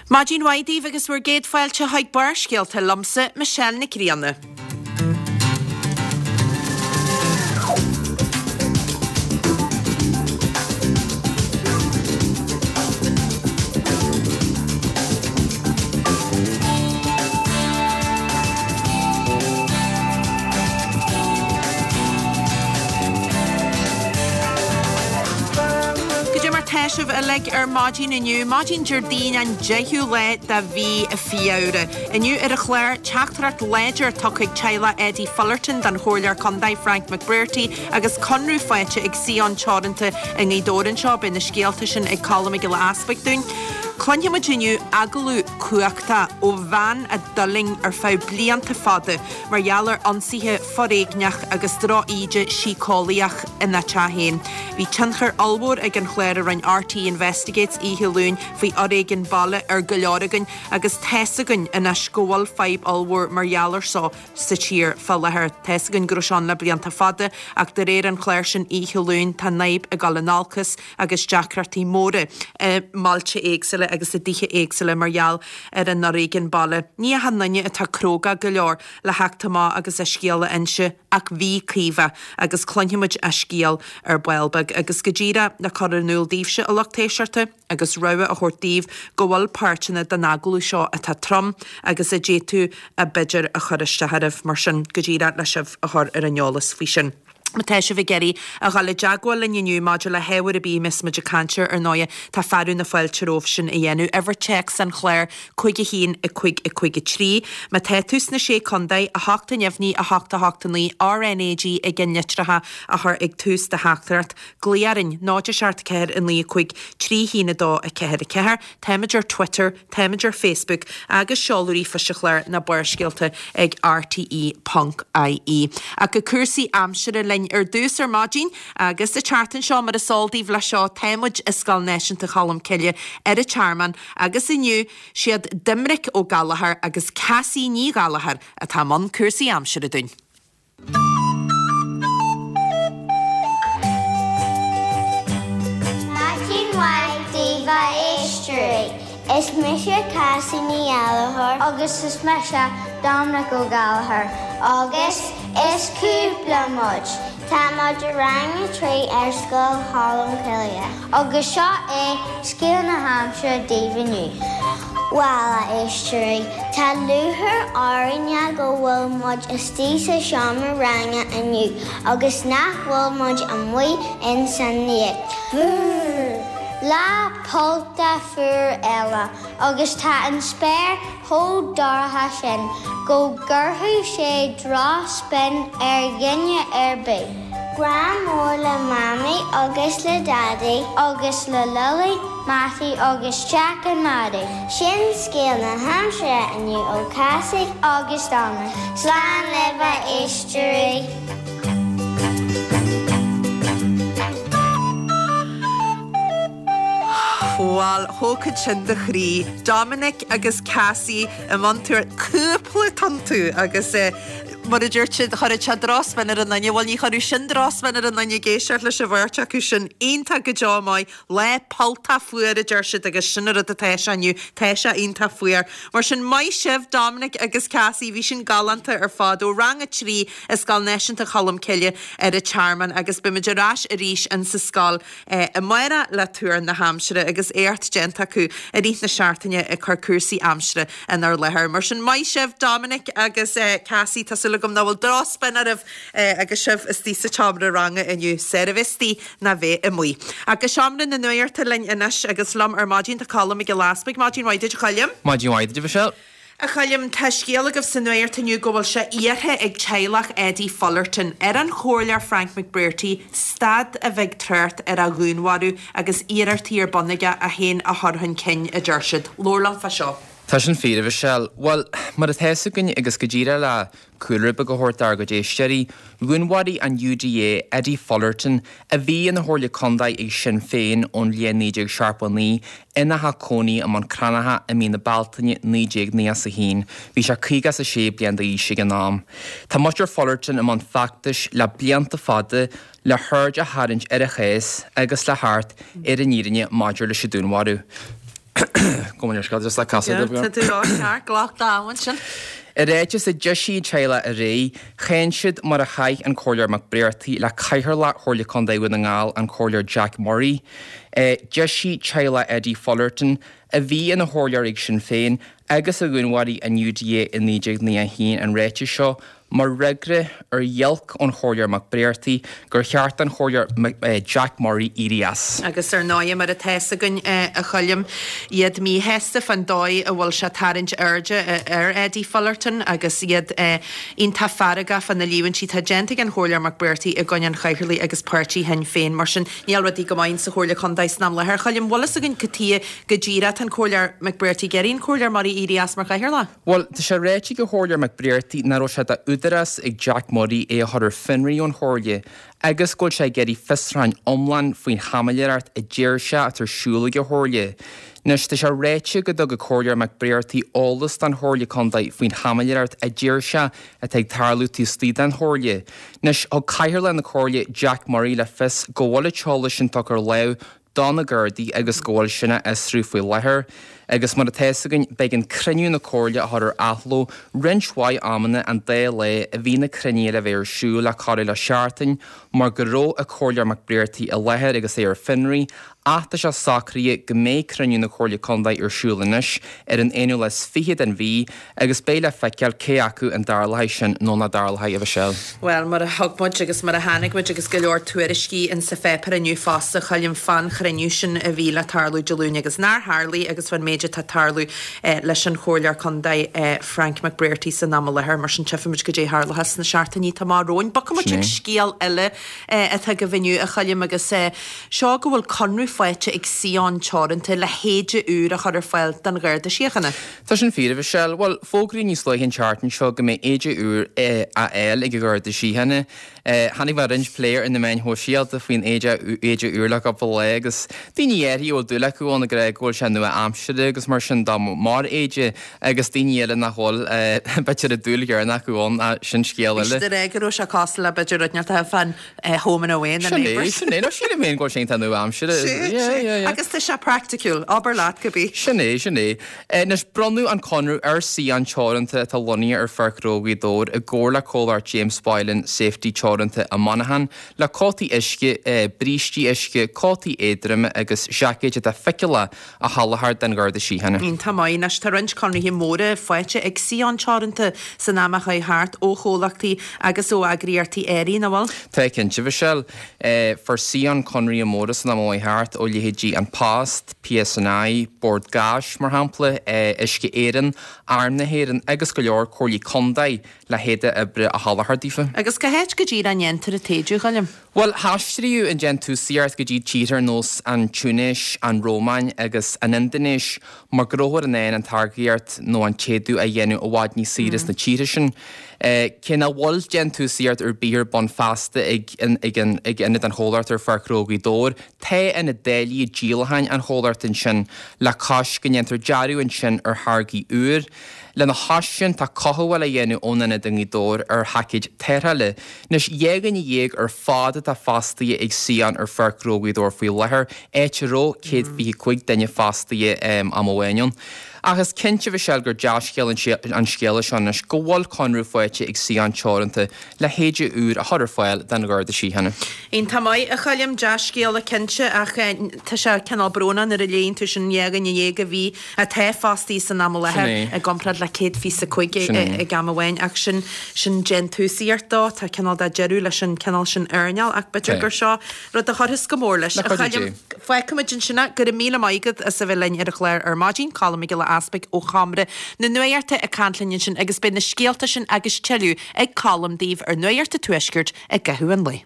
Maidin mhaith daoibh agus bhur gcéad fáilte chuig Barrscéalta liomsa, Michelle Nic Grianna. Goidé mar tá sibh uilig ar maidin inniu, maidin Déardaoin an 10ú lá de mhí Feabhra. Inniu ar an chlár, teachtaireacht láidir tugtha ag teaghlach Eddie Fullerton don Chomhairleoir Contae Frank McBrearty agus conradh faighte ag Sion Teoranta i nGaoth Dobhair anseo. Beidh na scéalta sin ag Colm Mac Giolla Easpaig dúinn. Cluinfidh muid inniu agallamh cumhachtach ó bhean a d'fhulaing ar feadh blianta fada mar gheall ar ionsaithe foréigneach agus droch-íde síceolaíoch ina teach féin. Bhí tionchar ollmhór ag an chlár a rinne RTÉ Investigates oíche Luain faoi fhoréigean baile ar go leor againn agus tá's againn anois go bhfuil fadhb ollmhór mar gheall ar so sa tír fá láthair. Tá's againn go raibh sé ann le blianta fada ach de réir an chláir sin oíche Luain tá an fhadhb ag dul in olcas agus deacrachtaí móra i mbailte éagsúla agus i dtithe éagsúla mar gheall ar an fhoréigean baile. Ní achan duine atá cróga go leor le theacht amach agus a scéal a inse ach bhí Caoimhe agus cluinfidh muid a scéal ar ball beag agus go díreach le cur in iúl daoibhse a lucht éisteachta agus rabhadh a thabhairt daoibh go bhfuil páirteanna den agallamh seo atá trom agus a d'fhéadfadh a b'fhéidir a chur isteach oraibh mar sin go díreach le sibh a chur ar an eolas faoi sin. Má tá sibh ag iarraidh a dhul i dteagmháil linn inniu maidir le hábhar ar bith a mbeas muid ag caint air, ar ndóighe, tá fearadh na fáilte romhaibh sin a dhéanamh. Uimhir téacs an chláir, 5 1 5 5 3. Má tá tú sna Sé Contae, 8 neamhní 8 8 9, RnaG i gceannlitreacha a chur ag tús do theachtaireacht. Glaoigh orainn, 0 7 4 9 5 3 1 2 4 4. Táimid ar Twitter. Táimid ar Facebook agus seoladh ríomhphoist an chláir ná Barrscéalta ag rte ponc ie. Ach go cúrsaí aimsire linn ar dtús ar maidin agus an tseachtain seo mar is eol daoibh leis seo tá muid i Scoil Náisiúnta Cholm Cille ar an Tearmann agus inniu siad Doimnic Ó Gallchóir agus Cassie Ní Ghallchóir atá i mbun cúrsaí aimsire dúinn. Maidin mhaith daoibh a éisteoirí. Is mise Cassie Ní Ghallchóir agus is mise Dominic Ó Gallchóir agus is cúpla muid. Tá muid i rang a 3 ar Scoil Cholm Cille agus seo é scéal na haimsire daoibh inniu. Bhuel, a éisteoirí, tá lúcháir orainne go bhfuil muid istigh sa seomra ranga inniu agus nach bhfuil muid amuigh in san ngaoth. Brrr! Lá pollta fuar eile agus tá an spéir chomh dorcha sin go gcuirfeadh sé drochspionn ar dhuine ar bith. Grá mór le Mamaí agus le Daidí agus le Lily, Mattie agus Jack and Maddie. Sin scéal na haimsire inniu ó Cassie agus Dominic. Slán libh a éisteoirí! Bhuel, thógfadh sin do chroí. Dominic agus Cassie i mbun tuar cúpla iontu agus mar a dúirt siad, chuirfeadh sé drochspionn ar an duine. Bhuel, ní chuirfeadh sin drochspionn ar an duine ag éisteacht leis an bheirt acu sin. Iontach go deo maith. Lá polltach fuar a deir siad agus sin an rud atá sé inniu. Tá sé iontach fuar. Mar sin, maith sibh Dominic agus Cassie, bhí sin galánta ar fad ó Rang 3 i Scoil Náisiúnta Cholm Cille ar an Tearmann agus beimid ar ais arís in sa scoil amárach le tuar na haimsire agus éacht déanta acu i rith na seachtaine ag cur cúrsaí aimsire inár láthair. Mar sin, maith sibh Dominic agus Cassie, tá súil agam nach bhfuil drochspionn oraibh agus sibh istigh sa tseomra ranga inniu. Saor a bheith istigh ná bheith amuigh. Ach go seomra na nuachta linn anois agus liom ar maidin tá Colm Mac Giolla Easpaig. Maidin mhaith duit a Choilm. Maidin mhaith duit a Mhichelle. A Choilm, tá scéal agaibh sa nuacht inniu go bhfuil sé iarrtha ag teaghlach Eddie Fullerton ar an Chomhairleoir Frank McBrearty stad a bheith ag trácht ar a dhúnmharú agus iarrachtaí ar bun aige é féin a chur chun cinn, a deir siad. Labhair liom fá seo. Tá sin fíor, a Mhichelle. Bhuel, mar atá fhios againn agus go díreach le cúlra beag a thabhairt dár gcuid éisteoirí, dhúnmharaigh an UDA Eddie Fullerton, a bhí ina Chomhairleoir Contae ag Sinn Féin ón bhliain 1979, ina theach cónaí i mBun Cranncha i mí na Bealtaine 1991. Bhí sé 56 bliain d'aois ag an am. Tá muintir Fullerton i mbun feachtais le blianta fada le haird a tharraingt ar a chás agus le theacht ar an fhírinne maidir leis an dúnmharú. Gabh mo leithscéal, just le casadh Tá tú ceart, glac d'am ansin. I ráiteas a d'eisigh an teaghlach aréir, cháin siad mar a chaith an Comhairleoir Mac Bréartaigh le Cathaoirleach Chomhairle Contae Dhún na nGall, an Comhairleoir Jack Murray. D'eisigh teaghlach Eddie Fullerton, a bhí ina chomhairleoir ag Sinn Féin agus a dhúnmharaigh an UDA i 1991 an ráiteas seo mar fhreagra ar ghiolc ón Chomhairleoir Mac Bréartaigh gur cheart don Chomhairleoir Jack Murray éirí as. Agus ar ndóighe, mar atá fhios againn, a Choilm, iad míshásta fán dóigh a bhfuil sé ag tarraingt airde ar Eddie Fullerton agus iad iontach feargach fá na líomhaintí atá déanta ag an Chomhairleoir Mac Bréartaigh i gcoinne an Chathaoirligh agus páirtí Shinn Féin. Mar sin, níl rudaí go maith sa Chomhairle Contae san am láthair. A Choilm, bhfuil fhios againn cad tuighe go díreach atá an Comhairleoir Mac Bréartaigh ag iarraidh an Comhairleoir Murray éirí as mar Chathaoirleach? Bhuel, tá sé ráite ag an Chomhairleoir Mac Bréartaigh nach raibh sé d'údarás ag Jack Murray é a chur ar fionraí ón Chomhairle agus go bhfuil sé ag iarraidh fiosrúchán iomlán faoin chaimiléireacht a deir sé atá ar siúl ag an Chomhairle. Anois, tá sé ráite go dtug an Comhairleoir Mac Bréartaigh eolas don Chomhairle Contae faoin chaimiléireacht a deir sé atá ag tarlú taobh istigh den Chomhairle. Anois, thug Cathaoirleach na Comhairle Jack Murray le fios go bhfuil an t-eolas sin tugtha ar láimh do na Gardaí agus go bhfuil sin á fhiosrú faoi láthair. Agus mar atá fhios againn, b'éigean cruinniú na Comhairle a chur ar athló roinnt mhaith amanna an dá lá a bhí na cruinnithe le bheith ar siúl le corradh le seachtain mar go raibh an Comhairleoir Mac Bréartaigh i láthair agus é ar fionraí ach tá sé socraithe go mbeidh cruinniú na Comhairle Contae ar siúl anois ar an 21ú den mhí agus beidh le feiceáil cé acu an dtarlóidh sin nó nach dtarlóidh, a Mhichelle. Bhuel, mar a thug muid agus mar a chonaic muid agus go leor tuairiscí in sa pháipéar inniu fosta, Choilm, fán chruinniú sin a bhí le tarlú Dé Luain agus nár tharlaigh agus fán méid atá ag tarlú leis an Chomhairleoir Contae Frank McBrearty san am i láthair. Mar sin tchífimid goidé a tharlóchas sna seachtainí atá amach romhainn. Bogfaidh muid chuig scéal eile atá agaibh inniu, a Choilm, agus seo go bhfuil conradh faighte ag CION Teoranta le héide úr a chur ar fáil don Gharda Síochána. Tá sin fíor, a Mhichelle. Bhuel, fógraíodh níos luaithe an tseachtain seo go mbeidh éide úr á fháil ag an Gharda Síochána. Chonaic mé roinnt plé ar na meáin shóisialta faoin éide éide úr le cúpla lá agus daoine áirithe a bhfuil dúil acu ann ag rá go bhfuil sé nua-aimseartha agus mar sin de mar éide agus daoine eile nach bhfuil, b'fhéidir an dúil chéanna acu ann, ach sin scéal eile. Bhí siad ag rá go raibh sé cosúil le b'fhéidir rud inteacht fán Home and Away na Sin é, Neighbours. sin é. No, sílim féin go bhfuil sé iontach nua-aimseartha. Sea, Yeah, sea. yeah, yeah. Agus tá sé praiticiúil. Abair leat go bí. Sin é, sin é. Anois, bronnadh an conradh ar CION Teoranta atá lonnaithe ar Pháirc Ghnó Ghaoth Dobhair i gcomhar le comhlacht James Boylan Safety Teoranta i Monaghan le cótaí uisce, brístí uisce, cótaí éadroma agus seaicéid atá feiceálach a sholáthar don Gharda Síochána. Iontach maith. Anois tá roinnt conraithe móra faighte ag CION Teoranta san am a chuaigh thart ó chomhlachtaí agus ó eagraíochtaí áirithe, nach bhfuil? Tá cinnte, Michelle. Fuair CION conraithe móra san am a chuaigh thart ó leithéidí An Post, PSNI, Bord Gáis, mar shampla, Uisce Éireann, Arm na hÉireann agus go leor comhairlí contae le héide oibre a sholáthar daofa. Agus cá háit go díreach a ndéantar an t-éide, a Choilm? Bhuel, haistríodh an déantúsaíocht go dtí tíortha ar nós an Túinéis, an Rómáin agus an Indinéis mar go rabhthar in ann an táirgíocht nó an t-éadú a dhéanamh i bhfad níos saoire sna tíortha sin. Cé nach bhfuil déantúsaíocht ar bith ar bun feasta ag ionad an chomhlachta ar Pháirc Ghnó Ghaoth Dobhair, tá ionad dáileadh díolacháin an chomhlachta ansin le cois go ndéantar dearadh ansin ar tháirgí úr. Lena chois sin, tá cothabháil á dhéanamh ón ionad i nGaoth Dobhair ar sheaicéid tarrthála. Anois, 12 dhuine ar fad atá fostaithe ag CION ar Pháirc Ghnó Ghaoth Dobhair faoi láthair, áit a raibh 125 duine fostaithe am amháin ann. Ach is cinnte, a Mhichelle, gur dea-scéal an scéala seo anois go bhfuil conradh faighte ag CION Teoranta le héide úr a chur ar fáil don Gharda Síochána. Iontach maith, a Choilm, dea-scéala cinnte, ach tá sé cineál brónach nuair a léann tú sin, 12 dhuine a bhí atá fostaithe san am i láthair i gcomparáid le 125 ag am amháin ach sin sin déantúsaíocht dó, tá cineál de deireadh leis an cineál sin earnáil ach b'fhéidir gur seo rud a chuirfeas go mór leis. A Choilm, fágfaimid ansin é. Go raibh míle maith agat as a bheith linn ar an chlár ar maidin, Colm Mac Giolla Easpaig ó Sheomra na Nuachta ag caint linn ansin agus beidh na scéalta sin agus tuilleadh ag Colm daoibh ar Nuacht an Tuaiscirt i gcaitheamh an lae.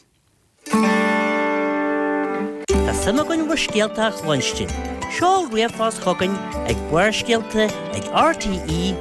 Tá suim againn bhur scéalta a chluinstin. Seol ríomhphost chugainn ag barrscéalta ag rte.ie.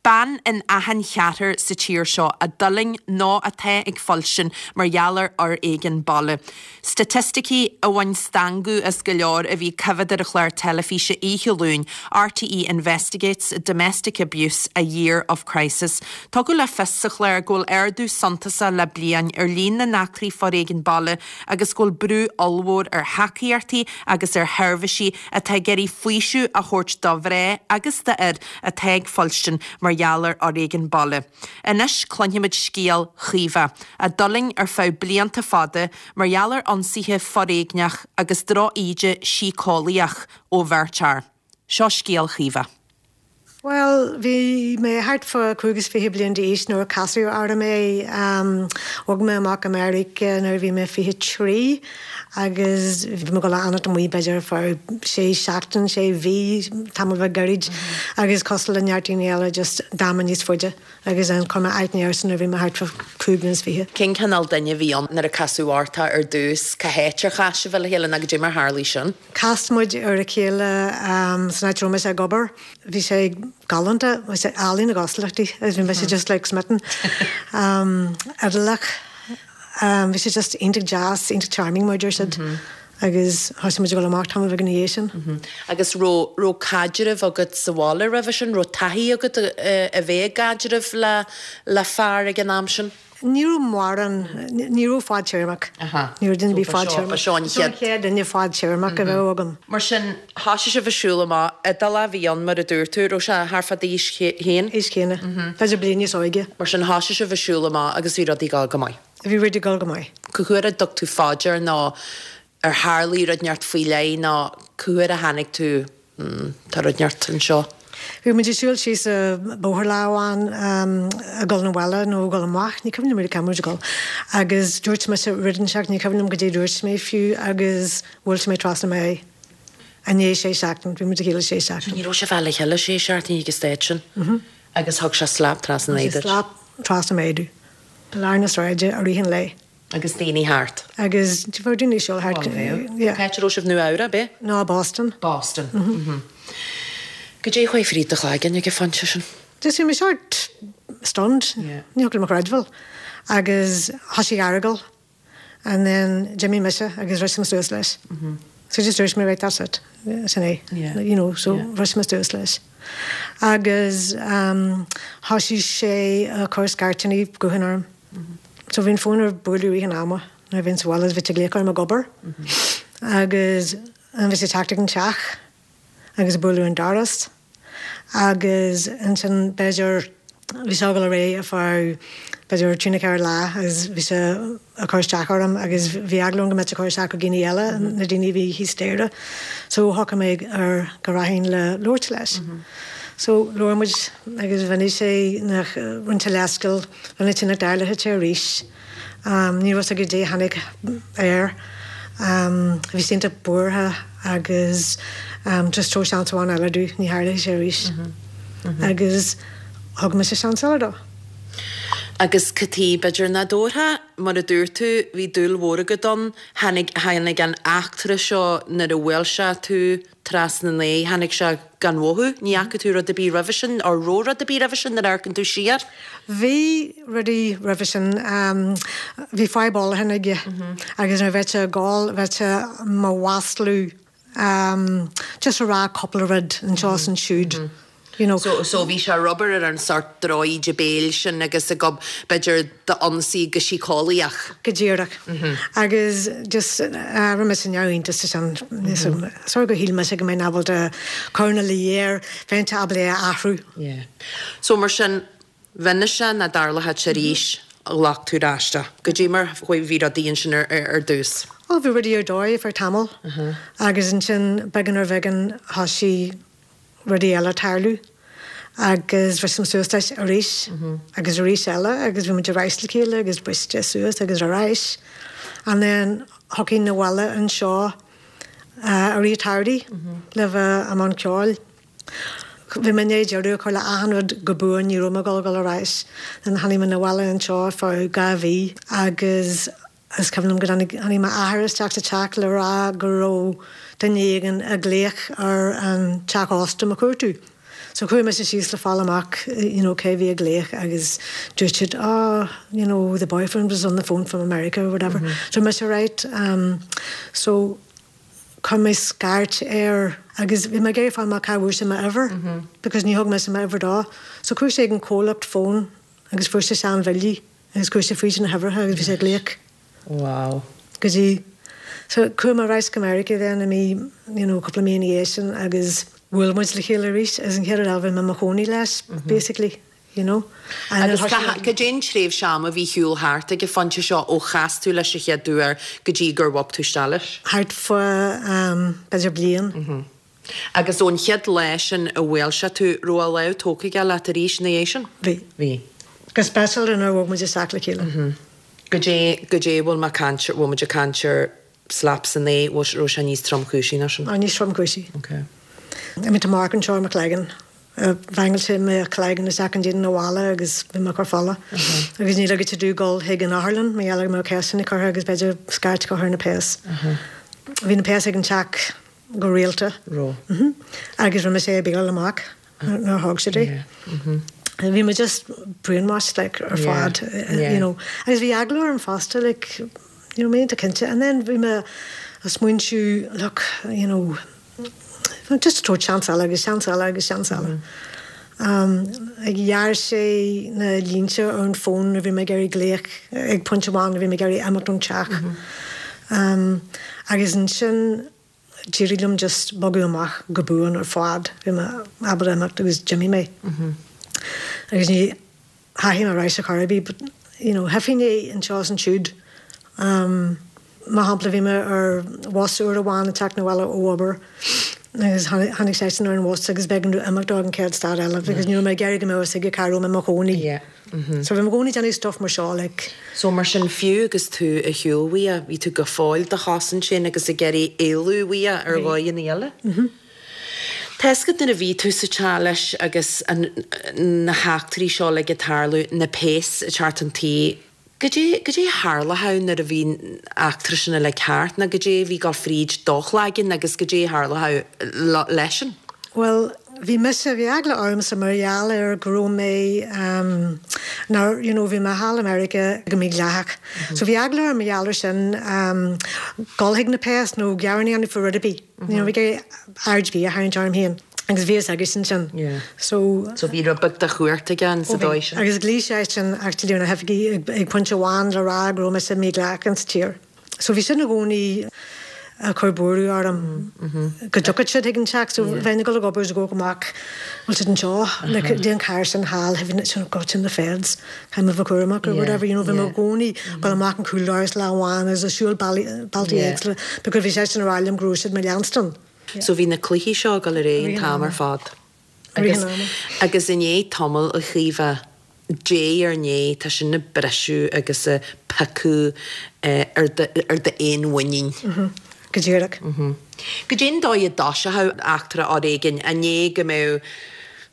Bean in achan cheathrar sa tír seo a d'fhulaing nó atá ag fuilstin mar gheall ar fhoréigean baile. Staitisticí a bhain stangadh as go leor a bhí coimhéad ar an chlár teilifíse oíche Luain, RTÉ Investigates, Domestic Abuse, A Year of Crisis. Tugadh le fios sa chlár go bhfuil ardú suntasach le bliain ar líon na n-eachtraí foréigin baile agus go bhfuil brú ollmhór ar thacaíochtaí agus ar sheirbhísí atá ag iarraidh faoiseamh a thabhairt do mhná agus d'fhir atá ag fuilstin mar gheall ar fhoréigean baile. Anois cluinfimid scéal Chaoimhe, a d'fhulaing ar feadh blianta fada mar gheall ar ionsaithe foréigneach agus droch-íde síceolaíoch ó bheirt fhear. Seo scéal Chaoimhe. Bhuel, bhí mé thart fá 25 bliain d'aois nuair a casadh orm é. Bhog mé amach go Meiriceá nuair a bhí mé 23 agus bhí mé ag dul a fhanacht amuigh b'fhéidir ar feadh sé seachtain, sé mhí, tamall beag gairid agus cosúil le neart daoine eile just d'fhan mé níos faide agus then chuir mé aithne airsean nuair a bhí mé thart fá 25 bliain. Cén cineál duine a bhí ann nuair a casadh ort é ar dtús? Cá háit ar chas sibh le chéile nó goidé mar tharlaigh sin? Chas muid ar a chéile san áit a raibh mise ag obair. Bhí sé galánta, bhí sé álainn na gcosúlachtaí agus bhí mise just like smitten. Iodálach, bhí sé just iontach deas, iontach charming mar a deir siad agus thosaigh muid ag dul amach tamall beag ina dhiaidh sin. Agus raibh, raibh caidreamh agat sa bhaile roimhe sin, raibh taithí agat a bheith i gcaidreamh le, le fear ag an am sin? Ní raibh mórán, ní raibh fadtéarmach. Ní raibh duine ar bith fadtéarmach. Ba seo an chéad. Seo an chéad duine fadtéarmach a bheadh agam. Mar sin, thosaigh sibh ag siúl amach. Iodálach a bhí ann, mar a dúirt tú. Raibh sé thart fá d'aois féin? Aois chéanna. B'fhéidir bliain níos óige. Mar sin, thosaigh sibh ag siúl amach agus bhí rudaí ag dul go maith. Bhí rudaí ag dul go maith. Cá huair a dtug tú fá dear nó ar tharlaigh rud inteacht faoi leith nó cá huair a tháinig tú hmm, tá rud inteacht anseo? Bhí muid ag siúl síos an bóthar lá amháin ag dul 'na bhaile nó ag dul amach, ní cuimhin liom really cá raibh muid ag dul, agus dúirt mise rud inteacht, ní cuimhin liom goidé dúirt mé fiú agus bhuail sé mé trasna m'aghaidh. I ndiaidh sé seachtain, bhí muid le chéile sé seachtain. Ní raibh sibh le chéile sé seachtain ag an staid sin agus thug sé slap trasna an aghaidh duit. Slap trasna m'aghaidh domh. I lár na sráide i rith an lae. Agus daoine thart. Agus bhí daoine ag siúl thart. Yeah. Cá háit a raibh sibh Nua Eabhrac, ab é? No, Boston. Boston. Mhm. Goidé a chuaigh fríd do chloigeann ag an phointe sin? Just bhí mé sort stunned. Yeah. Ní thiocfadh liom a chreidbheáil. Agus thoisigh argóint and then d'imigh mise agus bhris mé suas leis. So just dúirt mé right that's it. Sin é. Yeah. You know, so bhris mé suas leis. Agus um, thoisigh sé ag cur scairteanna gutháin orm. So bhí an fón ag bualadh i rith an ama nuair a bhínn sa bhaile is bhí sé ag glaoch orm ag obair agus bhí sé ag teacht ag an teach agus ag bualadh an doras agus ansin b'fhéidir bhí sé ag dul ar aghaidh ar feadh b'fhéidir trí nó ceathair lá agus bhí sé ag cur isteach orm agus bhí eagla orm go mbeadh sé ag cur isteach ar dhaoine eile, na daoine a bhí thíos staighre. So shocraigh mé ar go rachainn le labhairt leis. So labhair muid agus mhínigh sé nach rinne sé leithscéal Rinne sé nach dtarlódh sé arís. Ní raibh a fhios aige goidé a tháinig air. Bhí sé iontach buartha agus just tabhair seans amháin eile domh, ní tharlóidh sé arís. Agus thug mise seans eile dó. Agus cad chuige, b'fhéidir nach dtabharfá, mar a dúirt tú, bhí dúil mhór agat ann, tháinig, tháinig an eachtra seo nuair a bhuail sé tú, trasna an aghaidh. Tháinig sé gan mhothú. Ní fhaca tú rud ar bith roimhe sin, or raibh rud ar bith roimhe sin nuair a amharcann tú siar? Bhí rudaí roimhe sin. Bhí fadhb ólacháin aige agus nuair a bheadh sé ag ól bheadh sé mo mhaslú, just a rá cúpla rud anseo is ansiúd. You know. So, so bhí sé ag obair ar an sort drochíde béil sin agus ag ob, b'fhéidir d'ionsaí go síceolaíoch. Go díreach. Agus just rinne mise neamhiontas de sin. Sort gur shíl mise go mbeinn ábalta cur ina luí air, bheinnse ábalta é a athrú. Yeah. So mar sin, mhínigh sé nach dtarlódh sé arís, ghlac tú ar ais é. Goidé mar bhí rudaí ansin ar, ar dtús? Ó, bhí rudaí ar dóigh ar feadh tamaill. Agus ansin, beagán ar bheagán, thosaigh rudaí eile tarlú agus bhris mé suas leis arís agus arís eile agus bhí muid ar ais le chéile agus briste suas agus ar ais and then thiocfainn abhaile anseo i rith an tsamhraidh le bheith i mbun ceoil. Bhí mé i ndiaidh deireadh a chur le achan rud go buan, ní raibh mé ag dul a dhul ar ais. Then tháinig mé abhaile anseo ar feadh 2 mhí agus Is cuimhin liom go dtáinig, tháinig m'athair isteach sa teach le rá go raibh duine éigin ag glaoch ar an teach ósta mo chuartú. So chuaigh mise síos le fáil amach you know cé bhí ag glaoch agus dúirt siad oh you know the boyfriend was on the phone from America or whatever. So mise right um so chuir mé scairt air agus bhí mé ag iarraidh fáil amach cá bhfuair sé m'uimhir because ní thug mise m'uimhir dó. So chuaigh sé ag an comhlacht fón agus fuair sé seanbhillí agus chuaigh sé fríd na huimhreacha agus bhí sé ag glaoch. Wow. Go dtí so chuaigh mé ar ais go Meiriceá then i mí you know cúpla mí ina dhiaidh sin agus bhuail muid le chéile arís agus an chéad uair eile bhí mé i mo chónaí leis basically you know. Agus cad é an tréimhse ama a bhí ar shiúl thart ag an phointe seo ó chas tú leis an chéad uair go dtí gur bhog tú isteach leis? Thart fá b'fhéidir bliain. Agus ón chéad lá sin a bhuail sé tú, raibh a lámh tógtha aige leat arís ina dhiaidh sin? Bhí. Bhí. Go speisialta nuair a bhog muid isteach le chéile. Goidé, goidé bhfuil mé ag caint, bhfuil muid ag caint ar slap san aghaidh, bhfuil, raibh sé níos tromchúisí ná sin? Á, níos tromchúisí. Ok. I mean tá marc anseo ar mo chloigeann. Bheangail sé mo chloigeann isteach i ndíon an bhalla agus bhí mé ag cur fola. Agus ní ligfeadh sé domh dul chuig an otharlann mar gheall ar go mbeadh ceisteanna curtha agus b'fhéidir scairt curtha ar na péas. Bhí na péas ag an teach go rialta. Raibh. Agus rinne mise é a bhéileáil amach nuair a thóg siad é. Bhí mé just brainwashed like ar fad you know. Agus bhí eagla orm fosta like you know mé iontach cinnte. And then bhí mé ag smaointiú look you know just tabhairt seans eile agus seans eile agus seans eile. Like ghearr sé na línte ar an bhfón nuair a bhí mé ag iarraidh glaoch ag pointe amháin nuair a bhí mé ag iarraidh imeacht ón teach. Agus ansin d'éirigh liom just bogadh amach go buan ar fad. Bhí mé ábalta imeacht agus d'imigh mé. Agus ní theachaigh mé ar ais ar chor ar bith but you know thuigfinn é anseo is ansiúd. Mar shampla bhí mé ar bhus uair amháin ag teacht 'na bhaile ó obair agus tháinig seisean ar an bhus agus b'éigean domh imeacht ag an chéad stad eile because ní raibh mé ag iarraidh go mbeadh a fhios aige cá raibh mé i mo chónaí. So bhí mé i gcónaí ag déanamh stuff mar seo like. So mar sin fiú agus tú ar shiúl uaidh, bhí tú go fóill do chosaint féin agus ag iarraidh éalú uaidh ar dhóigheanna eile? Tá fhios agat nuair a bhí tú sa teach leis agus na heachtraí seo uilig ag tarlú, na péas ag teacht chun tí, Goidé, goidé a tharlódh nuair a bhí an eachtra sin uilig thart, nó goidé a bhí ag dul fríd do chloigeann agus goidé a tharlódh leisean? Bhuel, bhí mise, bhí eagla ormsa mar gheall ar go raibh mé, ehm, nár, you know, bhí mé thall i Meiriceá go mídhleathach. So bhí eagla orm mar gheall ar sin, ehm, dul chuig na péas nó gearán a dhéanamh faoi rud ar bith. You know, bhí mé ag iarraidh aird ar bith a tharraingt orm féin agus bhí fhios aigesean sin. So. So bhí rud beag de chumhacht aige sa dóigh sin. Agus ghlaoigh seisean actually ar na hoifigí ag pointe amháin le rá go raibh mise mídhleathach ins an tír. So bhí sin i gcónaí ag cur buaireamh orm go dtiocfadh siad chuig an teach. So bheinn ag dul ag obair is ag amharc amach bhfuil siad anseo, like dtí an carr sin thall, oh God sin na feds. Caithfidh mé a bheith cúramach or whatever, you know, bhí mé i gcónaí ag dul amach an cúldoras lá amháin agus ag siúl bealtaí éagsúla because bhí seisean ag rá liom go raibh siad mo leanstan. So bhí na cluichí seo ag dul ar aghaidh an t-am ar fad. Agus, agus i ndiaidh tamaill, a Chaoimhe, diaidh ar ndiaidh, tá sin ag briseadh agus ag piocadh ar do, ar d'fhéinmhuinín. Go díreach. Goidé an dóigh a dtoiseochadh eachtra fhoréigin, an é go mbeadh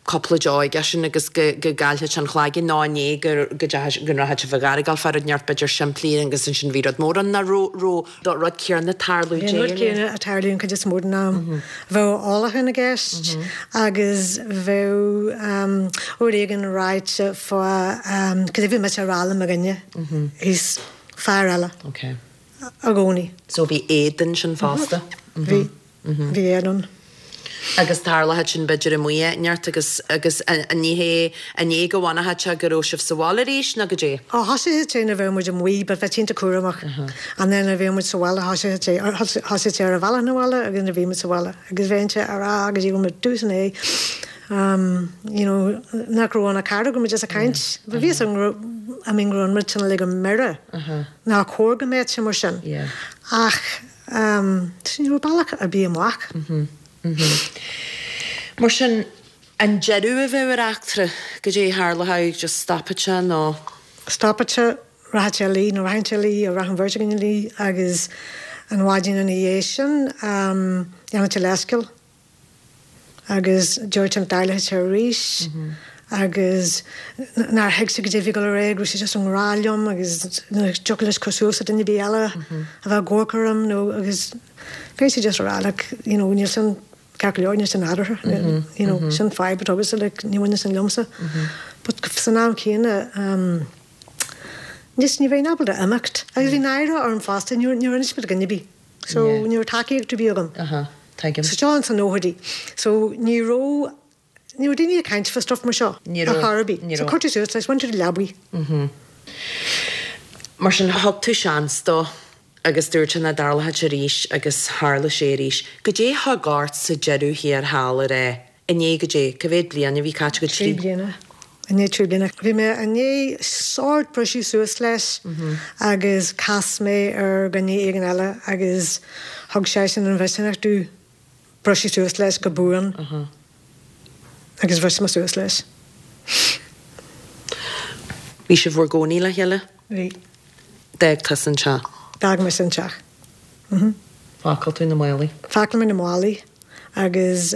cúpla deoch aigesean agus go gcaillfeadh sé an cloigeann nó an é go go rachadh sé fá deara ag dul fá rud inteacht b'fhéidir simplí agus ansin bhí rud mór ann nó raibh an rud céanna ag tarlú Bhí an rud céanna ag tarlú an chuid is mó den am. Bheadh ólachán i gceist agus bheadh rud éigin ráite fá cad é bhí mise a rá le mo dhuine thíos, fear eile. I gcónaí. So bhí éadan sin fosta? Bhí. Bhí éadan. Agus tharlódh sin b'fhéidir amuigh áit inteacht agus agus ní hé an é go bhfanfadh sé go raibh sibh sa bhaile arís nó goidé? Ó thosaigh sé nuair a bheadh muid amuigh but bheadh iontach cúramach and then nuair a bhíodh muid sa bhaile thosaigh sé thosaigh sé ar a bhealach 'na bhaile agus nuair a bhí muid sa bhaile agus bheinn sé a rá agus you know dús an é you know nach raibh ann ach cara go raibh muid just ag caint but bhí fhios agam go raibh I mean go raibh an rud sin uilig i mire. Nár chóir go mbeadh sé mar sin. Ach ní raibh bealach ar bith amach. Mar sin, an deireadh a bheadh ar eachtra, goidé a tharlódh, just stopfadh sé nó? Stopfadh sé, rachadh sé a luí nó rachainnse a luí, nó rachadh an bheirt againn a luí agus an mhaidin ina dhiaidh sin, dhéanfadh sé leithscéal. agus dúirt sé nach dtarlódh sé arís agus nár thuig sé goidé a bhí ag dul ar aghaidh, go raibh sé just i ngrá liom agus nach dtiocfadh leis cur suas le duine ar bith eile a bheith ag amharc orm nó agus bhí sé just a rá like you know níl sin. Ceart go leor, níl sin nádúrtha, you know, sin fadhb atá agatsa, like, ní bhaineann sin liomsa. But san am céanna, ehm, just ní bheinn ábalta imeacht. Agus bhí náire orm fosta, níor, níor inis mé do dhuine ar bith. So ní raibh tacaíocht ar bith agam. Tuigim. So seo ins na nóchaidí. So ní raibh, ní raibh daoine ag caint fá stuff mar seo. Ní Ar raibh, chor ar bith. ní So raibh. chuir tú suas leis, bhain tú do leabaidh. Mar sin, thug tú seans dó agus dúirt sé nach dtarlódh sé arís agus tharla sé arís. Goidé a thug ort sa deireadh thiar thall ar é? I ndiaidh goidé, cá mhéad bliain a bhí caite agat? 3 bliana. I ndiaidh 3 bliana. Bhí mé i ndiaidh sórt briseadh suas leis agus chas mé ar dhuine éigin eile agus thug seisean an mhisneach domh briseadh suas leis go buan agus bhris mé suas leis. Bhí sibh bhur gcónaí le chéile? Bhí. D'fhág tusa an teach? D'fhág mise an teach. Phacáil tú na málaí? Phacáil mé na málaí agus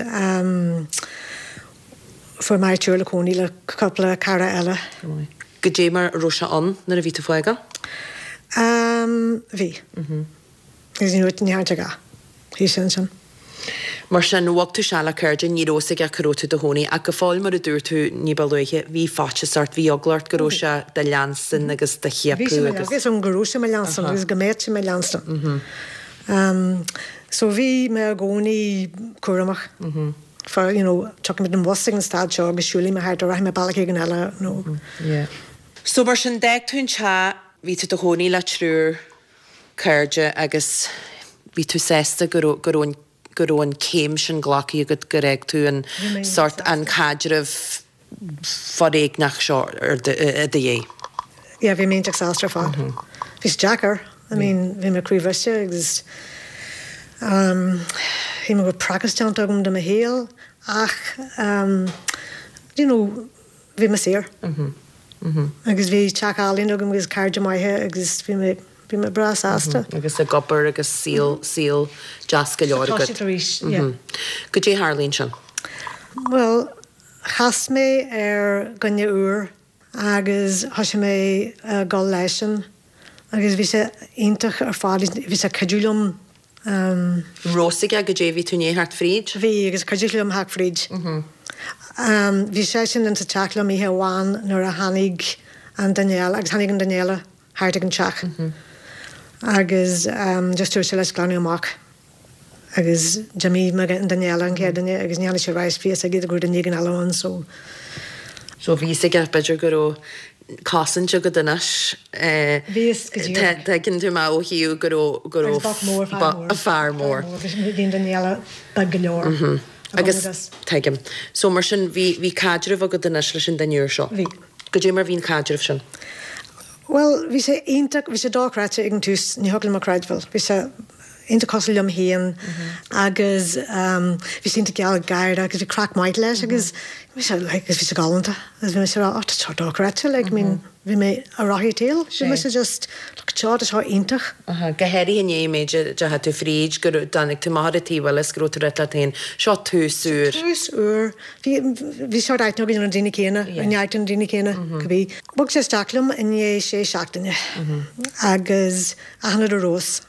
fuair mé áit úr le cónaí le cúpla cara eile. Go maith. Goidé mar a raibh sé ann nuair a bhí tú ag fágáil? Bhí. Agus ní raibh, ní dhearna sé a dhath. Bhí sé ansin. Mar sin, bhog tú isteach le cairde, ní raibh fhios aige cá raibh tú i do chónaí, ach go fóill mar a dúirt tú ní ba luaithe, bhí faitíos ort, bhí eagla ort go raibh sé do leanstan agus do Bhí sé chiapadh mo agus. Bhí fhios agam go raibh sé mo leanstan agus go mbeadh sé mo leanstan. So bhí mé i gcónaí cúramach fá, you know, tiocfaidh mé den bhus ag an stad seo agus siúlfaidh mé thart or rachaidh mé bealach éigin eile nó. So mar sin, d'fhág tú an teach, bhí tú i do chónaí le triúr cairde agus bhí tú sásta go raibh, go raibh an, go raibh an céim sin glactha agat, gur fhág tú an sórt, an caidreamh foréigneach seo i do dhiaidh. Yeah, bhí mé iontach sásta ar fad. Bhí sé deacair, I mean, bhí mé croíbhriste agus ehm shíl mé go raibh praghas déanta agam de mo shaol ach ehm you know, bhí mé saor. Agus bhí teach álainn agam agus cairde maithe agus bhí mé, bhí mé breá sásta. Agus ag obair agus saol, saol deas go leor agat. Tá siad arís, yeah. Goidé a tharla ansin? Bhuel, chas mé ar dhuine úr agus thosaigh mé ag dul leisean agus bhí sé iontach ar fad, bhí sé ag cuidiú liom. Raibh fhios aige goidé a bhí tú i ndiaidh theacht fríd? Bhí, agus cuidigh liom theacht fríd. Bhí seisean insa teach liom oíche amháin nuair a tháinig an duine eile, agus tháinig an duine eile thart ag an teach agus just dúirt sé leis glanadh amach agus d'imigh an duine eile, an chéad duine, agus ní tháinig sé ar ais, bhí fhios aige go raibh duine éigin eile ann so. So bhí fhios aige b'fhéidir go raibh cosaint agat anois. Bhí fhios go díreach. Tuigeann tú mé ó thaobh go raibh, go raibh. Agus boc mór, fear mór. Fear mór. Bhí an duine eile beag go leor. Agus tuigim. So mar sin bhí, bhí caidreamh agat anois leis an duine úr seo? Bhí. Goidé mar bhí an caidreamh sin? Bhuel, bhí sé iontach, bhí sé dochreidte ag an tús, ní thiocfadh liom a chreidbheáil. Bhí sé iontach cosúil liom féin agus bhí sé iontach gealgháireach agus bhí craic maith leis agus bhí sé like agus bhí sé galánta agus bhí mise ag rá oh tá seo dochreidte like I mean bhí mé ar rothaí tail, bhí mise just look seo tá seo iontach. Go háirithe i ndiaidh an méid a deachaigh tú fríd go dtáinig tú amach ar an taobh eile is go raibh tú ag rá leat féin seo tús úr. Tús úr. Bhí, bhí sórt aithne againn ar na daoine céanna, ar neart de na daoine céanna, cibé. Bhog sé isteach liom i ndiaidh sé seachtaine agus achan rud ar fheabhas.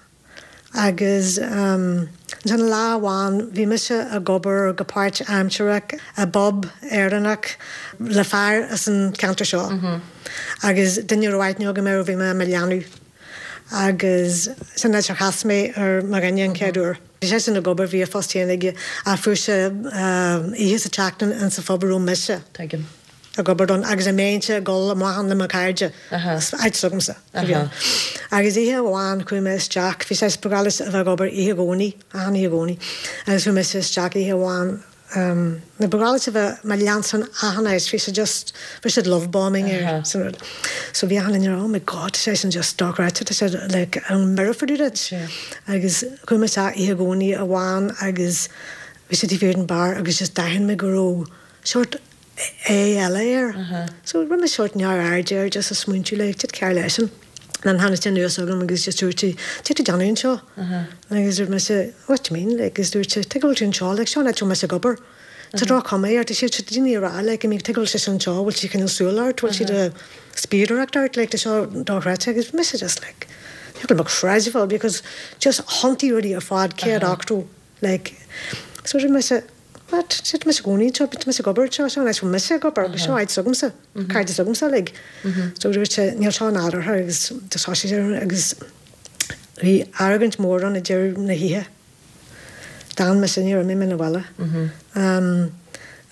Agus ansin lá amháin bhí mise ag obair go páirt-aimsearach i bpub Éireannach le fear as an cheantar seo agus duine a raibh aithne agam air ó bhí mé i mo leanbh. Agus sin an áit ar chas mé ar mo dhuine an chéad uair. Bhí seisean ag obair, bhí a phost féin aige ach fuair sé oíche sa tseachtain in sa phub a raibh mise ag obair ann agus a mbeinnse ag dul amach ann le mo chairde, áit s'agamsa a bhí ann. Agus oíche amháin chuaigh mé isteach, bhí sé ba ghnách leis a bheith ag obair oíche Dhomhnaigh, achan oíche Dhomhnaigh, agus chuaigh mise isteach oíche amháin, Ba ghnách leis a bheith mo leanstan achan áit, bhí sé just, bhí sé love bombing air san rud. So bhí achan duine ag rá oh my God tá seisean just dochreidte, tá sé like an mbeirfear duit. Agus chuaigh mé isteach oíche Dhomhnaigh amháin agus bhí sé taobh thiar den bar agus just d'aithin mé go raibh sórt aghaidh eile air. So rinne mé sórt neamhaird air just ag smaointiú like cad cearr leisean. Then tháinig sé anuas chugam agus just dúirt sé, cad tá tú ag déanamh anseo? Agus dúirt mise, what do you mean? Like agus dúirt sé, tuige a bhfuil tú anseo? Like seo an áit a bhfuil mise ag obair. Tá droch-chuma air, tá siad, tá daoine ag rá like, I mean tuige a bhfuil sise anseo, bhfuil sí ag coinneáil súil ort, bhfuil siad ag spiadóireacht ort, like tá seo dochreidte agus mise just like, ní thiocfadh liom a chreidbheáil because just thiontaigh rudaí ar fad 180 like. So dúirt mise, What? Tá mise i gcónaí anseo, tá mise ag obair anseo, seo an áit a bhfuil mise ag obair agus seo áit s'agamsa, cairde s'agamsa uilig. So dúirt sé, níl seo nádúrtha agus thosaigh sé agus bhí argóint mór ann ag deireadh na hoíche. D'fhan mise, níor imigh mé 'na bhaile.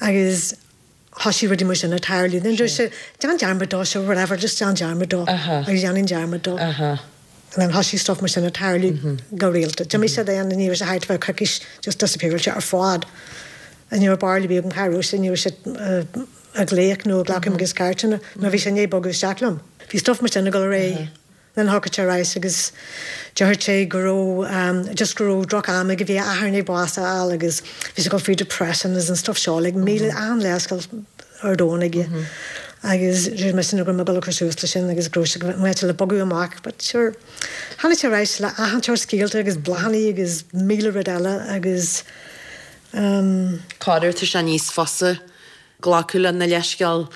Agus thosaigh rudaí mar sin ag tarlú. Then dúirt sé, déan dearmad dó, sure, whatever, just déan dearmad dó. Agus dhéanfainn dearmad dó. And then thosaigh stuff mar sin ag tarlú go rialta. D'imigh sé then, ní raibh sé thart feadh coicís, just disappearáil sé ar fad. Ní raibh barúil ar bith agam cá raibh sé, ní raibh sé ag glaoch nó ag glacadh mo chuid cairteanna nó bhí sé i ndiaidh bogadh isteach liom. Bhí stuff mar sin ag dul ar aghaidh. Then thiocfadh sé ar ais agus déarfadh sé go raibh, just go raibh droch am aige, bhí a athair i ndiaidh bás a fháil agus bhí sé ag dul through depression agus an stuff seo, like míle, achan leithscéal ar domhan aige. Agus dúirt mise nach raibh mé ag dul a cur suas leis sin agus go raibh sé go mbeadh sé le bogadh amach but sure tháinig sé ar ais le achan tseort scéalta agus bláthannaí agus míle rud eile agus ehm. Corruair tá sé níos fusa glacadh le na leithscéal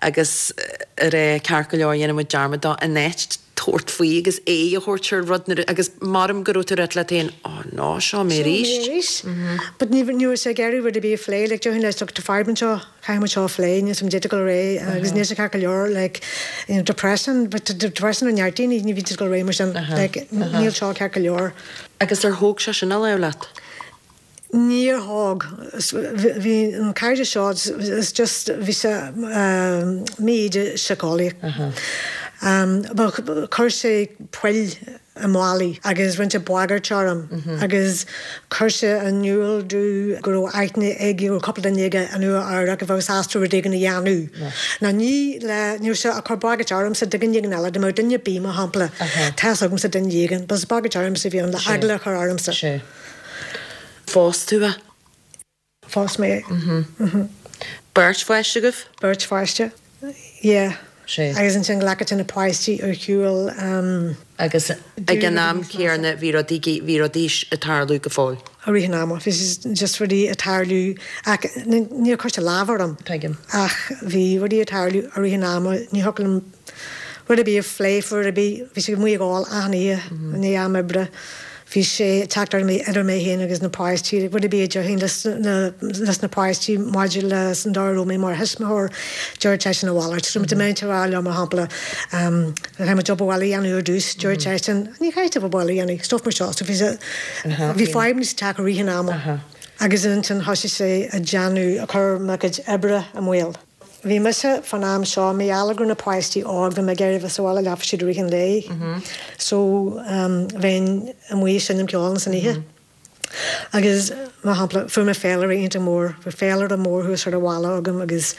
agus a rá ceart go leor dhéanfaidh muid dearmad dó in áit tabhairt faoi agus aghaidh a thabhairt ar rud nuair agus maram go raibh tú ag rá leat féin oh no seo mé arís. Seo mé arís. But ní ní raibh sé ag iarraidh rud ar bith a phlé like déarfainn leis look tá fadhb anseo caithfidh muid seo a phlé níl 's agam d'fhéadfadh dul ar aghaidh agus níl sé ceart go leor like you know depression but tá depression ar neart daoine ní bhíonn siad ag dul ar aghaidh mar sin like níl seo ceart go leor. Agus ar thóg sé sin a lámh leat? Níor thóg. Bhí an cairde seo is just bhí sé mí-íde síceolaíoch. Chuir sé poill i mballaí agus rinne sé bagairt orm agus chuir sé in iúl domh go raibh aithne aige, go raibh cúpla duine aige i Nua Eabhrac a bheadh sásta rud éigin a dhéanamh. Now ní le, ní raibh sé ag cur bagairt ormsa do dhuine éigin eile, dá mbeadh duine ar bith, mar shampla, tá's agamsa duine éigin, but is bagairt ormsa a bhí ann le eagla a chur ormsa. Phós tú é? Phós mé é. Beirt pháiste agaibh? Beirt pháiste, yeah. Sea. Agus ansin ghlacadh na páistí ar shiúl. Agus ag an am céanna bhí rudaí, bhí rudaí ag tarlú go fóill? I rith an ama. Bhí just rudaí ag tarlú ach níor chuir sé lámh orm. Tuigim. Ach bhí rudaí ag tarlú i rith an ama, ní thiocfadh liom rud ar bith a phlé faoi rud ar bith. Bhí sé amuigh ag ól achan oíche i ndiaidh am oibre. Bhí sé ag teacht ar idir mé féin agus na páistí, rud ar bith a déarfainn leis na páistí maidir leis an dóigh a raibh mé mar thuismitheoir, déarfadh seisean a mhalairt. So dá mbeinn ag rá leo, mar shampla, caithfidh muid obair bhaile a dhéanamh ar dtús, déarfadh seisean, ní chaithfidh tú obair bhaile a dhéanamh, stuff mar seo. So bhí sé, bhí fadhbanna sa teach i rith an ama agus ansin thosaigh sé ag déanamh, ag cur mo chuid oibre i mbaol. Bhí mise fán am seo, mar gheall go raibh na páistí óg, bhí mé ag iarraidh a bheith sa bhaile leofa siad i rith an lae. So bheinn amuigh ag seinm ceoil ins an oíche. Agus, mar shampla, fuair mé féilire iontach mór, bhí féilire mór thuas ar an bhalla agam agus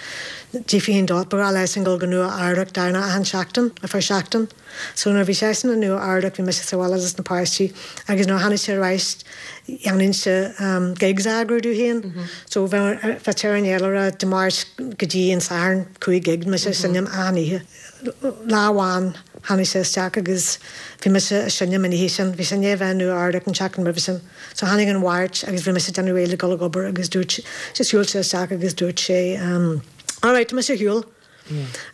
d'fhiafraínn dó, ba ghnách leisean dul go Nua Eabhrac beagnach achan seachtain, ar feadh seachtain. So nuair a bhí seisean i Nua Eabhrac bhí mise sa bhaile leis na páistí agus nuair a tháinig sé ar ais dhéanainnse gigs a eagrú domh féin. So bheadh sé ar an fhéilire Dé Máirt go dtí an Satharn, 5 gig, mise ag seinm achan oíche. Lá amháin tháinig sé isteach agus bhí mise ag seinm an oíche sin, bhí sé i ndiaidh a bheith i Nua Eabhrac an tseachtain roimhe sin. So tháinig an Mháirt agus bhí mise ag déanamh réidh le dul ag obair agus dúirt, just shiúil sé isteach agus dúirt sé alright tá mise ar shiúl.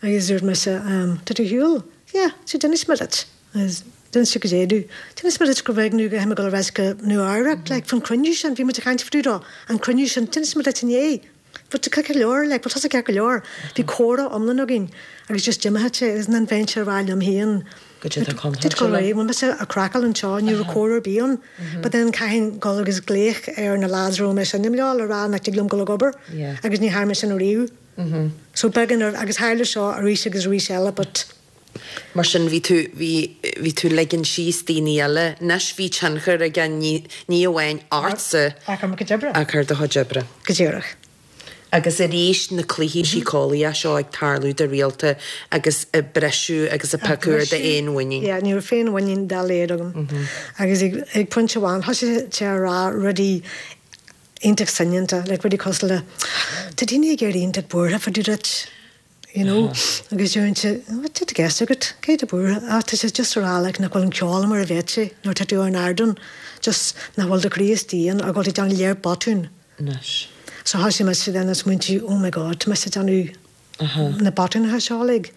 Agus dúirt mise, Tá tú ar shiúl? Yeah, so d'inis mé duit. Agus d'inis tú goidé domh. D'inis mé duit go raibh nó go raibh mé ag dul ar ais go Nua Eabhrac, like, faoin cruinniú sin, bhí muid ag caint fá dtaobh dó, an cruinniú sin, d'inis mé duit inné. Bhfuil tú ceart go leor, like, bhfuil tusa ceart go leor? Bhí comhrá iomlán againn agus just d'imigh sé agus then bheinnse ag rá liom féin, Goidé tá contráilte liom. Bhfuil mise ag craiceáil anseo, ní raibh comhrá ar bith ann. But then caithfinn dul agus glaoch ar na lads a raibh mé ag seinm leo le rá nach dtig liom dul ag obair agus ní dhearna mé sin ariamh. So beagán ar, agus tharla seo arís agus arís eile but. Mar sin bhí tú, bhí, bhí tú ligean síos daoine eile. Anois bhí tionchar aige ní, ní amháin ortsa. Ach ar mo chuid oibre. Ach ar do chuid oibre. Go díreach. Agus arís na cluichí síceolaíocha seo ag tarlú go rialta agus ag briseadh agus ag piocadh ar d'fhéinmhuinín. Yeah, ní raibh féinmhuinín dá laghad agam. Agus ag, ag pointe amháin thosaigh sé a rá rudaí iontach soineanta, like rudaí cosúil le tá daoine ag éirí iontach buartha fá dtaobh duit, you know, agus deirimse what tá i gceist agat, cé atá buartha? Ah tá sé just a rá like nach bhfuil an ceol mar a bheadh sé nuair atá tú ar an ardán, just nach bhfuil do chroí istigh ann or go bhfuil tú ag déanamh léir botún. Anois. So thosaigh mise then ag smaointiú oh my god tá mise ag déanamh na botúnacha seo uilig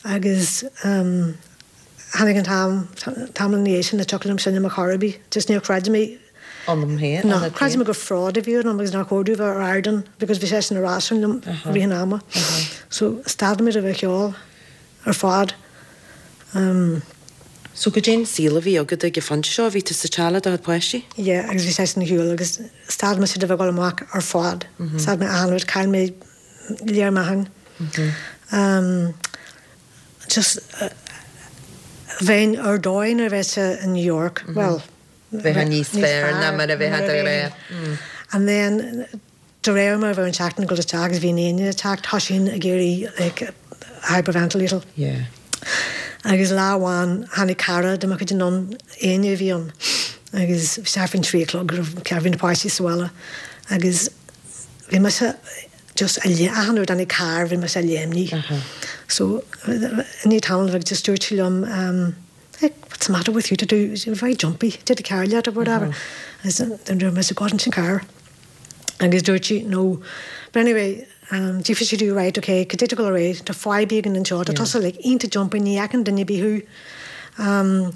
agus tháinig an t-am, tamall ina dhiaidh sin nach dtiocfadh liom seinm ar chor ar bith, just níor chreid mé. Ionam féin, No, ionat chreid féin. mé gur fraud a bhí ann agus nár chóir domh bheith ar ardán because bhí seisean ag rá sin liom i rith an ama. So stad mé de bheith ag ceol ar fad. So goidé an saol a bhí agat ag an phointe seo, bhí tú sa teach le do chuid páistí? Yeah, agus bhí seisean ar shiúl agus stad mise de bheith ag dul amach ar fad. Stad mé achan rud, chaill mé lear meáchain. Just bheinn ar dóigh nuair a bheifeá in New York, bhuel, Bheifeá níos fearr ná mar a bheifeá de ghnáth. And then de réir mar a bhí an tseachtain ag dul isteach agus bhí an éinne ag teacht, thosaínn ag éirí like hyperventilating. Yeah. Agus lá amháin tháinig cara de mo chuid anonn, Áine a bhí ann, agus bhí sé faoin trí a chlog, bhí na páistí sa bhaile agus bhí mise just a lé, achan uair a dtáinig carr bhí mise a léimnigh. So i ndiaidh tamaill bheag just dúirt sí liom ehm like what's the matter with you to do, you're very jumpy, did a car leat or whatever. Agus then dúirt mise God sin carr. Agus dúirt sí no. But anyway um d'fhiafraigh sí domh right ok cad é tá ag dul ar aghaidh, tá fadhb éigin anseo, tá tusa like iontach jumpy ní fheiceann duine ar bith thú um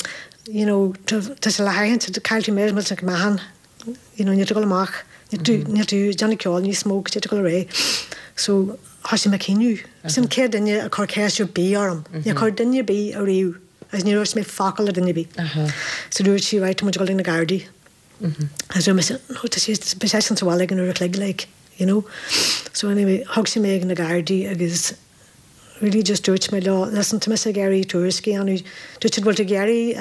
you know tá tá sé le haithint chaill tú millteanach meáchan you know, níl tú ag dul amach, níl tú, níl tú ag déanamh ceoil níos mó, cad é tá ag dul ar aghaidh. So, thosaigh mé ag caoineadh. Sin an chéad duine a chuir ceist ar bith orm. Níor chuir duine ar bith ariamh agus níor dhúirt mé focal le duine ar bith. So dúirt sí, right, tá muid ag dul ag na Gardaí. Agus dúirt mise, no, tá sé, beidh seisean sa bhaile ag an uair a chloig, like, you know. So anyway, thug sí mé ag na Gardaí agus really just dúirt mé leo, listen, tá mise ag iarraidh tuairisc a dhéanamh, dúirt siad, bhfuil tú ag iarraidh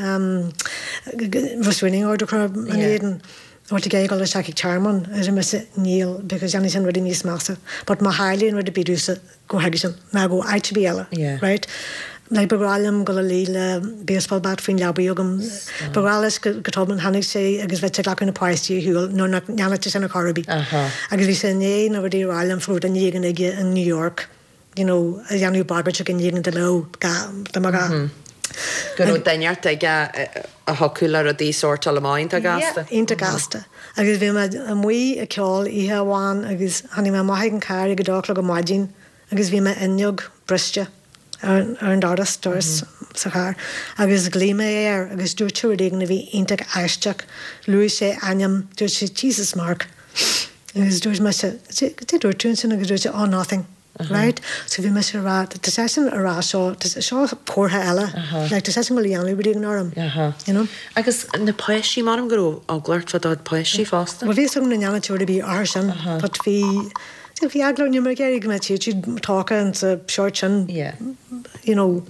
restraining order a chur in éadan, bhfuil tú ag iarraidh dul isteach ag tearmann? A dúirt mise, níl, because déanfaidh sin rudaí níos measa, but má tharlaíonn rud ar bith domhsa, gabh chuige sin, ná gabh áit ar bith eile, right? Like, ba ghnách liom dul a luí le baseball bat faoin leabaidh agam, ba ghnách leis go tobann tháinig sé agus bheadh sé ag glacadh na páistí ar shiúl nuair nach ndearna sé sin ar chor ar bith. Agus bhí sé i ndiaidh na rudaí a rá liom fá raibh duine éigin aige in New York, you know, a dhéanamh bagairt ag duine éigin dá mbeadh gá, dá mbeadh gá. Go raibh duine inteacht aige a thiocfadh le rudaí sórtáil amach iontach gasta. Yeah, iontach gasta. Agus bhí mé amuigh ag ceol oíche amháin agus tháinig mé amach ag an carr ag a dó a chlog ar maidin agus bhí m'fhuinneog briste ar an doras, doras sa charr, agus ghlaoigh mé air agus dúirt sé rud éigin a bhí iontach aisteach, luaigh sé ainm, dúirt sé Jesus Mark agus dúirt mise, cad é dúirt tú ansin agus dúirt sé oh nothing, right? So bhí mise ag rá, tá seisean ag rá seo, seo comhartha eile, like tá seisean ag dul a dhéanamh rud éigin orm, you know? Agus na páistí, measaim go raibh eagla ort fá do chuid páistí fosta? Bhuel bhí a fhios agam nach ndéanfadh sé rud ar bhith orthu sin but bhí, Bhí eagla orm, ní raibh mé ag iarraidh go mbeadh siad tógtha in sa seort sin, you know.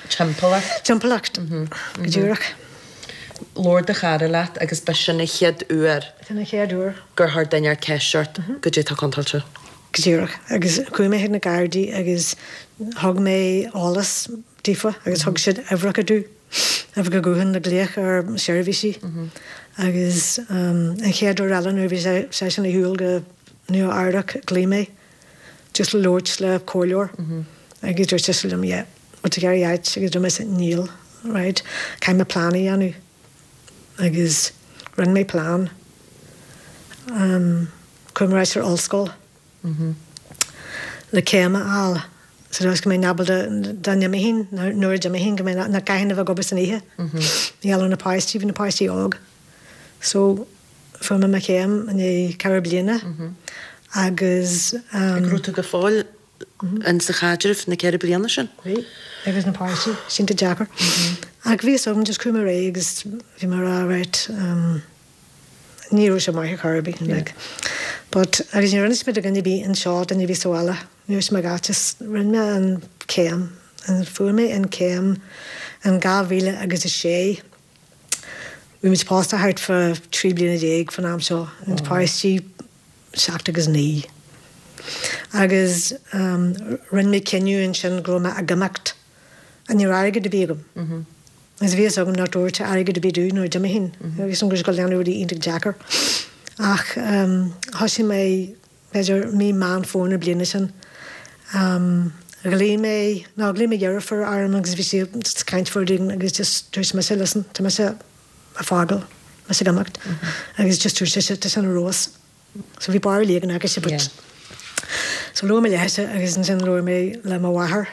Timpeallacht. Timpeallacht, go díreach. Labhair do chara leat agus ba sin an chéad uair. Sin an chéad uair. Gur chuir duine inteacht ceist ort goidé atá contúirteach. Go díreach. Agus chuaigh mé chuig na Gardaí agus thug mé eolas daofa agus thug siad uimhreacha domh, uimhreacha gutháin le glaoch ar seirbhísí. Agus an chéad uair eile nuair a bhí seisean ar shiúl go Nua Eabhrac, ghlaoigh mé just le labhairt le comhairleoir agus dúirt sise liom yeah, bhfuil tú ag iarraidh áit agus dúirt mise níl, right, caithfidh mé plean a dhéanamh agus rinne mé plean. Chuaigh mé ar ais ar ollscoil le céim a fháil so dúirt go mbeinn ábalta dá n-imeoinn nuair a d'imigh go mbeinn nach gcaithfinn a bheith ag obair san oíche. Ní gheall ar na páistí, bhí na páistí óg. So fuair mé mo chéim i ndiaidh ceithre bliana agus. Go raibh tú go fóill in sa chaidreamh na ceithre bliana sin? Bhí, agus na páistí, sin deacair. Ach bhí a fhios agam, just chuaigh mé ar aghaidh agus bhí mé ag rá right, ní raibh sé maith ar chor ar bith, like. But, agus níor inis mé do dhuine ar bith anseo, duine ar bith sa bhaile, níor inis mé gach, just rinne mé an céim, and fuair mé an céim in 2000 agus a sé. Bhí muid pósta thart fá 13 bliana fán am seo, na páistí 7 agus 9. Agus rinne mé cinneadh ansin go raibh mé ag imeacht. Ní raibh airgead ar bith agam. Agus bhí a fhios agam nach dtabharfadh sé airgead ar bith domh nuair a d'imigh. Bhí a fhios agam go raibh sé ag dul a dhéanamh rudaí iontach deacair. Ach thosaigh mé b'fhéidir mí Meán Fómhair na bliana sin. Ghlaoigh mé, nó ghlaoigh mo dheirfiúr orm agus bhí sí ag caint faoi rud éigin agus just dúirt mise listen, tá mise ag fágáil, mise ag imeacht agus just dúirt sise tá sin ar fheabhas. So bhí barúil éigin aicise but so labhair mé léithe agus ansin labhair mé le mo mháthair.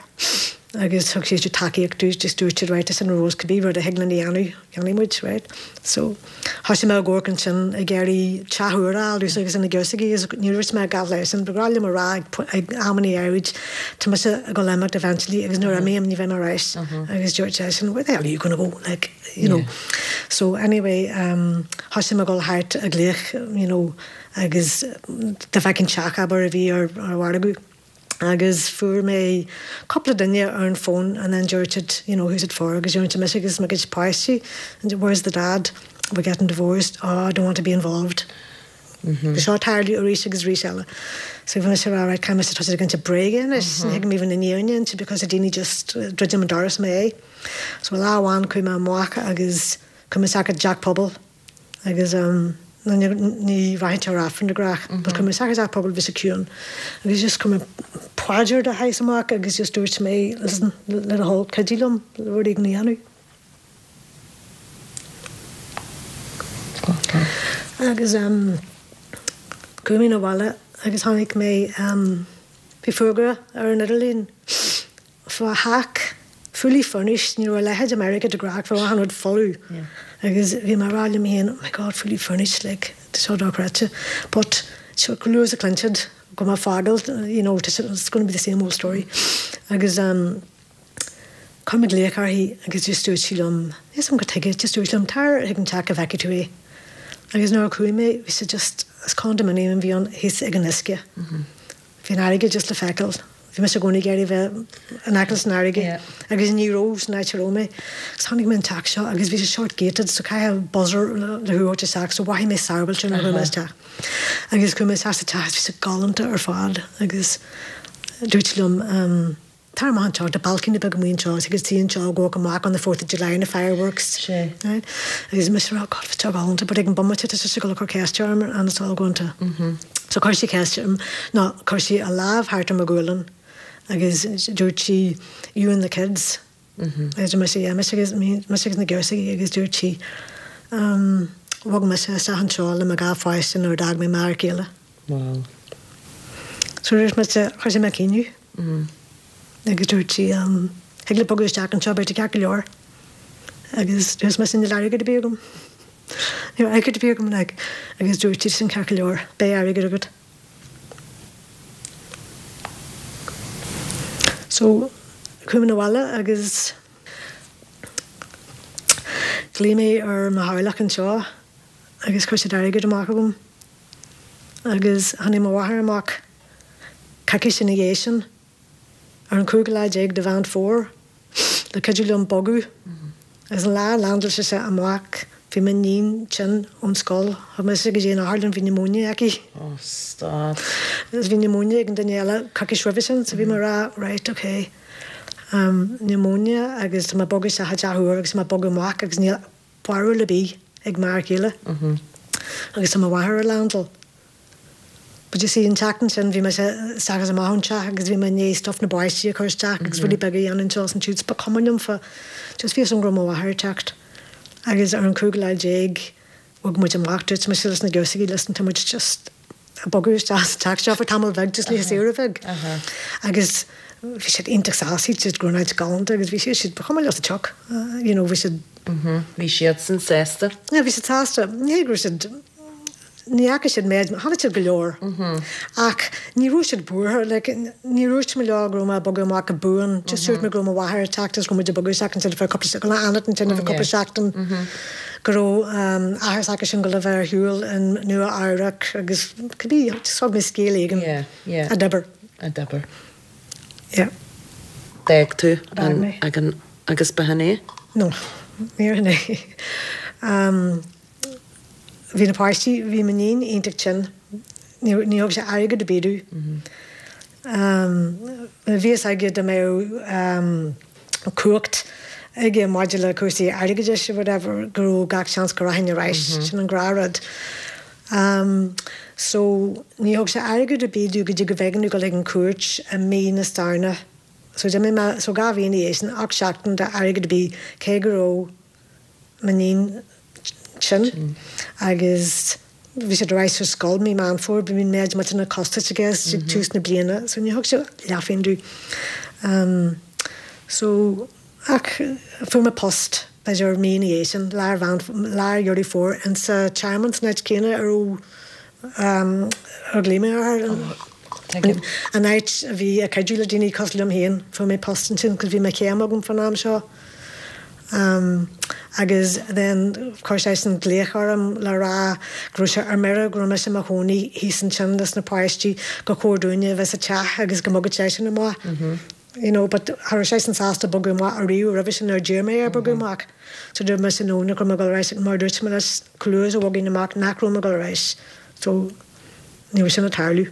Agus thug siad tacaíocht dúinn, just dúirt siad right listen Rose cibé rud a thig linn a dhéanamh, dhéanfaidh muid, right? So thosaigh mé ag amharc ansin ag iarraidh teach úr a fháil domhsa agus do na girseachaí agus ní dúirt mé a dhath leisean, ba ghnách liom a rá ag amannaí áirid tá mise ag dul imeacht eventually agus nuair a imím ní bheidh mé ar ais agus dúirt seisean where the hell are you gonna go like you know. So anyway um thosaigh mé ag dul thart ag glaoch you know agus dá bhfeicfinn teach abair a bhí ar ar mhargadh. agus fuair mé cúpla duine ar an phone and then dúirt siad you know who's it for agus dúirt mise agus mo gcuid páistí and where's the dad we're getting divorced oh I don't want to be involved. Bhí seo ag tarlú arís agus arís eile. So bhí mise ag rá right caithfidh mise tosú ag inse bréige anois ní thig liom even an fhírinne a inse because the daoine just druidim an doras i m'aghaidh. So lá amháin chuaigh mé amach agus chuaigh mé isteach i dteach pobail Agus ní rachainnse ar Aifreann de ghnách, but chuaigh mé isteach i dteach pobail, bhí sé ciúin. Agus just chuir mé paidir de shaghas amach agus just dúirt mé, listen, le do thoil, cuidigh liom rud éigin a dhéanamh. Agus chuaigh mé 'na bhaile agus chonaic mé, bhí fógra ar an idirlíon. Fá theach fully furnished, ní raibh a leithéid i Meiriceá de ghnách, bheadh achan rud folamh agus bhí mé ag rá liom féin oh my God fully furnished like tá seo dochreidte but seo chomh luath is a chluin siad go mbeidh fágáil you know it's going to be the same old story agus um chuir mé glaoch uirthi agus just dúirt sí liom níl 'fhios a'm cad chuige just dúirt sí liom tar chuig an teach go bhfeicfidh tú é agus nuair a chuaigh mé bhí sé just is condominium a bhí ann thíos ag an uisce. Bhí an fharraige just le feiceáil. Bhí mise i gcónaí ag iarraidh bheith in aice leis an fharraige agus ní raibh san áit a raibh mé. Agus chonaic mé an teach seo agus bhí sé sórt gated so caithfidh buzzer le thú a thabhairt isteach so mhothaigh mé sábháilte nuair a chuaigh mé isteach. Agus chuaigh mé isteach sa teach agus bhí sé galánta ar fad agus dúirt sí liom ehm Tar amach anseo, tá balcony beag amuigh anseo, thig leat suí anseo, go amach on the Fourth of July na fireworks. Sea. Right? Agus mise ag rá, God, bhí seo galánta, but ag an bomaite tá sise ag dul a cur ceiste orm and it's all going to. So chuir sí ceist orm, no, chuir sí a lámh thart ar mo ghualainn agus dúirt sí, you and the kids. Agus dúirt mise, yeah, mise agus, mise agus na girseachaí agus dúirt sí, um, bhog mise isteach anseo le mo dhá pháiste nuair a d'fhág mé m'fhear céile. Wow. So dúirt mise, thosaigh mé ag caoineadh. Agus dúirt sí, Thig leat bogadh isteach anseo, beidh tú ceart go leor. Agus dúirt mise, Níl airgead ar bith agam. Níl airgead ar bith agam, like. Agus dúirt sí, Sin ceart go leor, beidh airgead agat. So, chuaigh mé 'na bhaile agus ghlaoigh mé ar mo theaghlach anseo agus chuir siad airgead amach agam. Agus tháinig mo mháthair amach coicís ina dhiaidh sin, ar an chúigiú lá déag de Mheán Fómhair, le cuidiú liom bogadh. Agus an lá a landáil sise amach, bhí m'iníon tinn ón scoil. Thug mise go dtí an otharlann, bhí pneumonia aici. Oh, stop. Agus bhí pneumonia ag an duine eile coicís roimhe sin, so bhí mé ag rá, right, ok, pneumonia agus tá mé ag bogadh isteach i dteach úr agus tá mé ag bogadh amach agus níl barúil ar bith ag m'fhear céile agus tá mo mháthair ar landáil. But you see, an tseachtain sin bhí mise isteach is amach ón teach agus bhí mé i ndiaidh stuff na bpáistí a chur isteach agus rudaí beaga a dhéanamh anseo is ansiúd 's ba chuma liom fá just bhí fhios agam go raibh mo mháthair ag teacht. Agus ar an chúigiú lá déag bhog muid amach, dúirt mise leis na girseachaí listen tá muid just ag bogadh isteach sa teach seo for tamall bheag just le saoire bheag. Agus bhí siad iontach sásta, shíl siad go raibh an áit galánta agus bhí siad, ba chuma leo sa tsioc, you know, bhí siad. Bhí siadsan sásta. Yeah, bhí siad sásta. Ní hé go raibh siad Ní fhaca siad méid, chonaic siad go leor. Ach ní raibh siad buartha, like, ní dúirt mé leo go raibh mé ag bogadh amach go buan, just dúirt mé go raibh mo mháthair ag teacht agus go raibh muid ag bogadh isteach ansin for cúpla, go raibh fanacht ansin ar feadh cúpla seachtain, go raibh athair s'acusan ag dul a bheith ar shiúl in Nua Eabhrac agus cibé, just thug mé scéal éigin a d'oibir. A d'oibir. Yeah. D'fhág tú an, agus ba shin é? No, níor shin é. Bhí na páistí, bhí m'iníon iontach tinn, ní thug sé airgead ar bith domh. Bhí fhios aige dá mbeadh cumhacht aige maidir le cúrsaí airgeadais or whatever go raibh gach seans go rachainn ar ais, sin an gnáthrud. So ní thug sé airgead ar bith domh go dtí go b'éigean domh dul chuig an chúirt i mí na Samhna. So d'imigh mé, so 2 mhí ina dhiaidh sin, 8 seachtain d'airgead ar bith cé go raibh m'iníon tinn agus bhí siad ar ais ar scoil mí Meán Fómhair, bhí an méid millteanach costais aige ag tús na bliana so ní thug sé leathphingin domh. So, ach fuair mé post, b'fhéidir mí ina dhiaidh sin, lár Mheán, lár Dheireadh Fómhair, insa tearmann san áit chéanna a raibh, ar ghlaoigh mé orthu. Tuigim. An áit a bhí ag cuidiú le daoine cosúil liom féin, fuair mé post ansin, 'cause bhí mo chéim agam fán am seo. Agus then chuir seisean glaoch orm le rá go raibh sé ar mire go raibh mise i mo chónaí thíos ansin leis na páistí, gur chóir dúinne a bheith sa teach agus go mbogfadh seisean amach. You know, but cha raibh seisean sásta bogadh amach ariamh roimhe sin nuair a d'iarr mé air bogadh amach. So dúirt mise no, nach raibh mé ag dul ar ais mar dúirt mé leis chomh luath is a bhogfainn amach nach raibh mé ag dul ar ais. So ní raibh sin ag tarlú.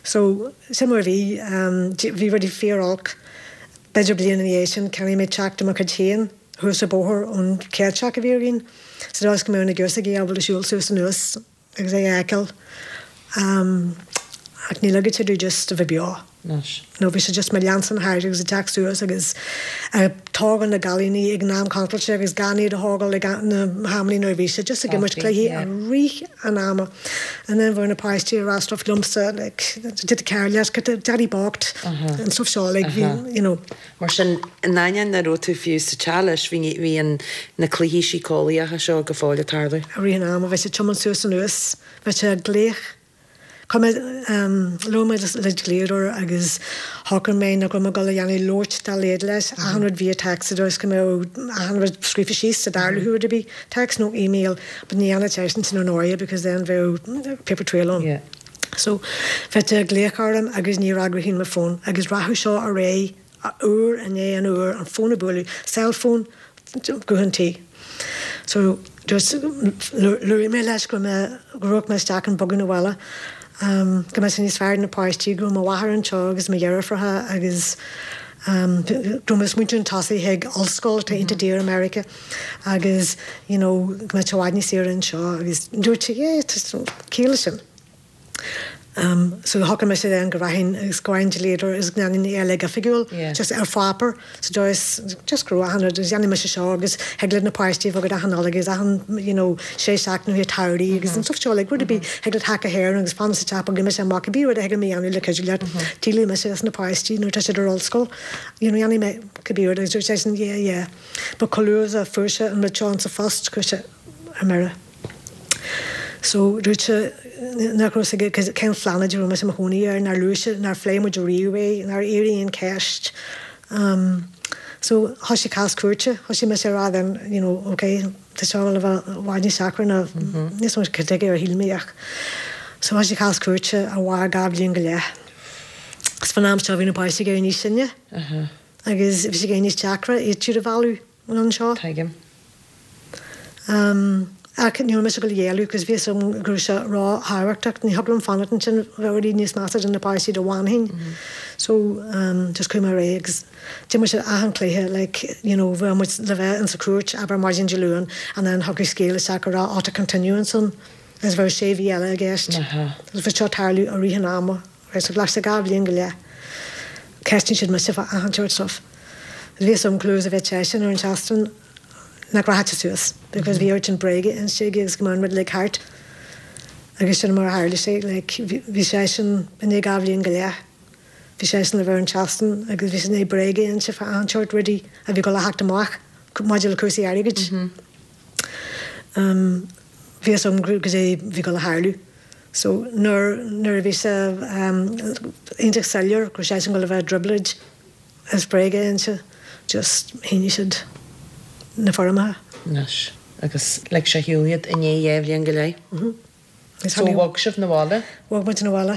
So, sin mar a bhí. Bhí rudaí fíor-olc. B'fhéidir bliain ina dhiaidh sin, cheannaigh mé teach de mo chuid féin thuas an bóthar ón chéad teach a bhí againn, sa dóigh is go mbeadh na girseachaí ábalta siúl suas anuas agus é a fheiceáil. Ach ní ligeadh sé domh just a bheith beo. Anois. No, bhí sé just mo leanstan thart agus ag teacht suas agus ag tógáil na gcailíní ag an am contráilte agus gan iad a thógáil ag na hamannaí nuair a bhí sé just ag imirt cluichí i rith an ama. And then bheadh na páistí ag rá stuff liomsa like did the car leat get the daddy bocht and stuff seo like bhí you know. Mar sin, in ainneoin nach raibh tú fiú sa teach leis, bhí bhí an na cluichí síceolaíocha seo go fóill ag tarlú. I rith an ama bhí sé ag tiomáint suas anuas, bhí sé ag glaoch. Chuir mé, labhair mé le dlíodóir agus shocraigh mé nach raibh mé ag dul a dhéanamh labhairt dá laghad leis, achan rud via text sa dóigh is go mbeadh achan rud scríofa síos dá dtarlódh rud ar bith, text nó email, but ní dhéanfadh seisean sin ar ndóigh because then bheadh paper trail ann. Yeah. So, bheadh sé ag glaoch orm agus ní fhreagróinn mo phone agus rachadh seo ar aghaidh uair i ndiaidh an uair, an fón ag bualadh, cell phone, guthán tí. So just luaigh mé leis go raibh mé, go raibh mé isteach chun bogadh 'na bhaile, go mbeadh sé níos fearr do na páistí, go raibh mo mháthair anseo agus mo dheirfiúracha agus go raibh mé ag smaointiú chun tosaigh chuig ollscoil atá iontach daor i Meiriceá agus you know go mbeadh sé i bhfad níos saoire anseo agus dúirt sé yeah tá ciall leis sin. So shocraigh mise then go rachainn agus go bhfaighinn dlíodóir agus go ndéanfainn é uilig oifigiúil, just ar pháipéar, sa dóigh is just go raibh achan rud agus dhéanfaidh mise seo agus thig le na páistí a bheith agat achan Nollaig agus achan you know sé seachtaine ó thaobh tsamhraidh agus an stuff seo like rud ar bith thig leat theacht go hÉirinn agus fan sa teach bogfaidh mise amach cibé rud a thig liom a dhéanamh le cuidiú leat díolfaidh mise as na páistí nuair atá siad ar ollscoil you know dhéanfaidh mé cibé rud agus dúirt seisean yeah yeah but chomh luath is a fuair sé an rud seo insa phost chuir sé ar mire. So, dúirt sé nach raibh fhios aige cén phláinéad a raibh mise i mo chónaí air, nár luaigh sé, nár phléigh muid riamh é, nár éirigh aon cheist. So, thoisigh cás cúirte, thoisigh mise ag rá then, you know, ok, tá seo le bheith i bhfad níos deacra ná, níl 's agam cad chuige ar shíl mé ach, so thoisigh cás cúirte a mhair 2 bhliain go leith. Agus fán am seo bhí na páistí ag éirí níos sine agus bhí sé ag éirí níos deacra iad siúd a mhealladh anseo. Tuigim. Ach ní raibh mise ag dul a ghéilleadh cos bhí fhios agam go raibh sé ró-thábhachtach. Ní thig liom fanacht ansin, bheadh rudaí níos measa do na páistí dá bhfanfainn. So just chuaigh mé ar aghaidh agus d'imir siad achan chluiche like you know bheadh muid le bheith insa chúirt abair maidin Dé Luain and then thiocfadh scéal isteach go raibh tá continuance ann agus bheadh sé mhí eile i gceist. Agus bhí seo ag tarlú i rith an ama. Right, so ghlac sé 2 bhliain go leith. Ceistíonn siad mise fá achan sort stuff. Bhí fhios agam chomh luath is a bheadh seisean ar an seastán nach rachadh sé suas because bhí oiread sin bréige inste aige agus go mbeadh an rud uilig thart. Agus sin mar a tharla sé, like bhí seisean i ndiaidh 2 bhliain go leith, bhí seisean le bheith ar an seastán agus bhí sé i ndiaidh bréaga a inse fá achan sort rudaí a bhí ag dul a theacht amach maidir le cúrsaí airgid. Bhí fhios agam goidé bhí ag dul a tharlú. So nuair nuair a bhí sé iontach soiléir go raibh seisean ag dul a bheith i dtrioblóid as bréaga a inse, just shínigh siad na foirmeacha. Anois. Agus lig sé ar shiúl iad i ndiaidh dhá bhliain go leith. Mhm. So bhog sibh 'na bhaile? Bhog muid 'na bhaile.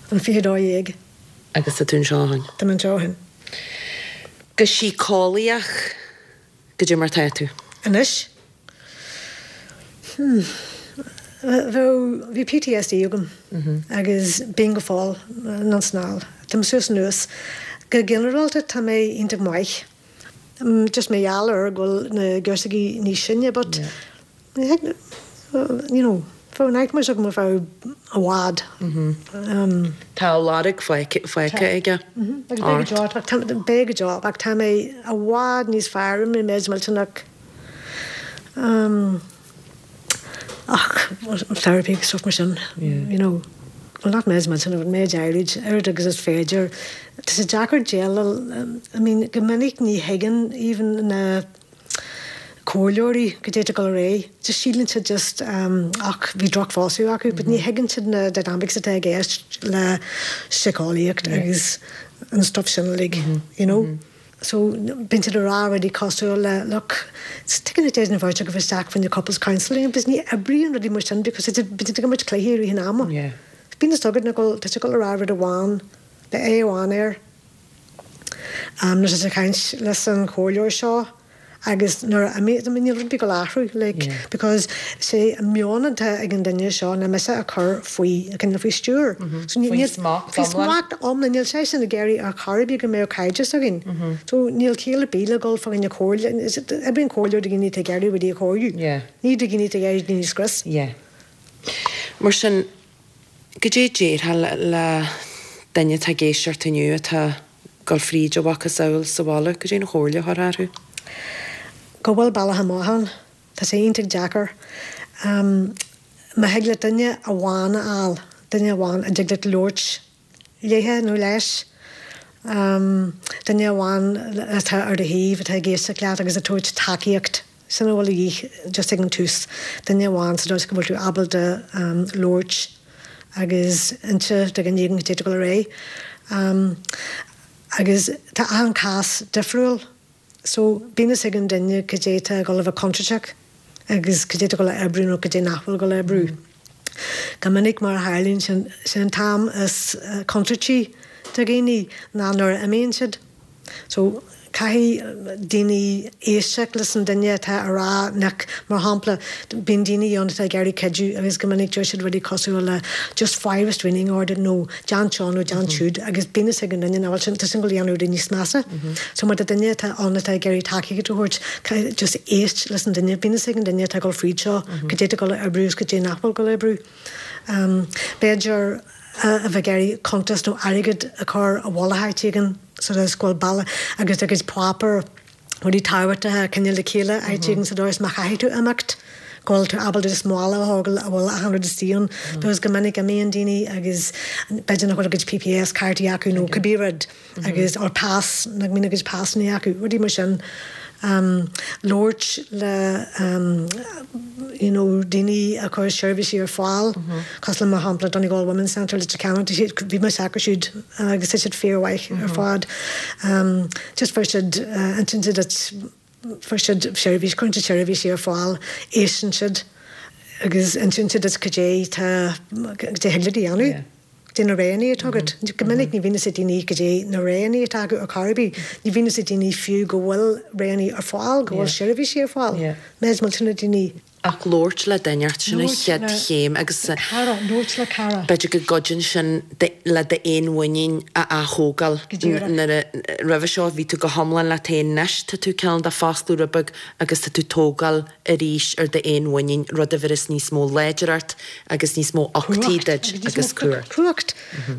An 22. Agus tá tú anseo ó shin? Tá mé anseo ó shin. Go síceolaíoch, goidé mar tá tú? Anois? Hmm. Bheadh, bhí PTSD agam agus bíonn go fóill, anonn 's anall. Tá mé suas anuas. Go ginearálta tá mé iontach maith. Just mar gheall ar go bhfuil na girseachaí níos sine but you know, bheadh nightmares agam ar feadh i bhfad. Tá a lorg fágtha aige ort. Beidh go deo, ach tá mé i bhfad níos fearr, rinne mé méid millteanach ach therapy agus stuff mar sin, you know. Bhuel, not méid millteanach, but méid áirid, oiread agus is féidir. Tá sé deacair déileáil, I mean, go minic ní thuigeann even na comhairleoirí goidé atá ag dul ar aghaidh. Just síleann siad just ach bhí drochphósadh acu, but ní thuigeann siad na dynamics atá i gceist le síceolaíocht agus an stuff sin uilig, you know. So bíonn siad ag rá rudaí cosúil le look, tuigeann tú an bheirt agaibh isteach faoin couples counselling agus ní oibríonn rudaí mar sin because bíonn siad ag imirt cluichí i rith an ama. Bíonn fhios agat nach bhfuil, tá sé ag dul a rá rud amháin, beidh aghaidh amháin air. Nuair atá sé ag caint leis an chomhairleoir seo agus nuair a imíonn, I mean níl rud ar bith ag dul a athrú like because sé an meon atá ag an duine seo ná mise a chur faoi, cineál faoi stiúir. So níl, Faoi smacht faoi iomlán. smacht iomlán, níl seisean ag iarraidh ar chor ar bith go mbeadh cairdeas againn. So níl ciall ar bith le dul fá choinne comhairle, oibríonn comhairleoir do dhaoine atá ag iarraidh rudaí a chóiriú, ní do dhaoine atá ag iarraidh daoine a scrios. Yeah. Mar sin, goidé déarfá le duine atá ag éisteacht inniu atá ag dul fríd a mhacasamhail sa bhaile, goidé an chomhairle a thabharfá orthu? Go bhfuil bealach amach ann. Tá sé iontach deacair. Má thig leat duine amháin a fháil, duine amháin a dtig leat labhairt léithe nó leis, duine amháin atá ar do thaobh, atá ag éisteacht leat agus ag tabhairt tacaíocht, sin a bhfuil a dhíth just ag an tús, duine amháin sa dóigh is go bhfuil tú ábalta labhairt agus inse do dhuine éigin goidé atá ag dul ar aghaidh. Agus tá achan cás difriúil so bíonn fhios ag an duine goidé atá ag dul a bheith contúirteach agus goidé atá ag dul a oibriú nó goidé nach bhfuil ag dul a oibriú. Go minic mar a tharlaíonn sin, sin an t-am is contúirtí do dhaoine ná nuair a imíonn siad. So, caithfidh daoine éisteacht leis an duine atá a rá nach, mar shampla, bíonn daoine ann atá ag iarraidh cuidiú agus go minic deir siad rudaí cosúil le just faigh restraining order nó déan seo nó déan siúd agus bíonn fhios ag an duine nach bhfuil sin, tá sin ag dul a dhéanamh rudaí níos measa. So má tá duine atá ann atá ag iarraidh tacaíocht a thabhairt, caithfidh just éist leis an duine, bíonn fhios ag an duine atá ag dul fríd seo goidé atá ag dul a oibriú agus goidé nach bhfuil ag dul a oibriú. B'fhéidir a bheith ag iarraidh cuntas nó airgead a chur i bhfolach áit éigin sa dóigh is go bhfuil bealach agus do chuid páipéar, rudaí tábhachtacha a choinneáil le chéile áit éigin sa dóigh is má chaithfidh tú imeacht go bhfuil tú ábalta just mála a thógáil a bhfuil achan rud istigh ann because go minic imíonn daoine agus b'fhéidir nach bhfuil a gcuid PPS cártaí acu nó cibé rud. agus or pas, nach mbíonn a gcuid pasanna acu, rudaí mar sin. Labhairt le you know daoine a chuir seirbhísí ar fáil, cosúil le mar shampla Donegal Women's Centre, Leitir Ceanainn, tá siad, bhí mise acu siúd agus tá siad fíormhaith ar fad. Just fuair siad, insíonn siad duit, fuair siad seirbhís, cuireann siad seirbhísí ar fáil, éisteann siad agus insíonn siad duit cad é tá, cad é thig leat a dhéanamh. Cad é na roghanna atá agat. Go minic ní bhíonn fhios ag daoine cad é na roghanna atá acu ar chor ar bith. Ní bhíonn fhios ag daoine fiú go bhfuil roghanna ar fáil, go bhfuil seirbhísí ar fáil. Méid millteanach daoine. Ach labhairt le duine inteacht, sin an chéad chéim agus Cara, labhairt le cara. b'fhéidir go gcuidíonn sin le d'fhéinmhuinín a ath-thógáil. Go díreach. Nuair a, roimhe seo bhí tú go hiomlán leat féin, anois tá tú cineál de foscladh rud beag agus tá tú tógáil arís ar d'fhéinmhuinín, rud a bheireas níos mó láidreacht agus níos mó uchtaí duit agus cumhacht. Cumhacht.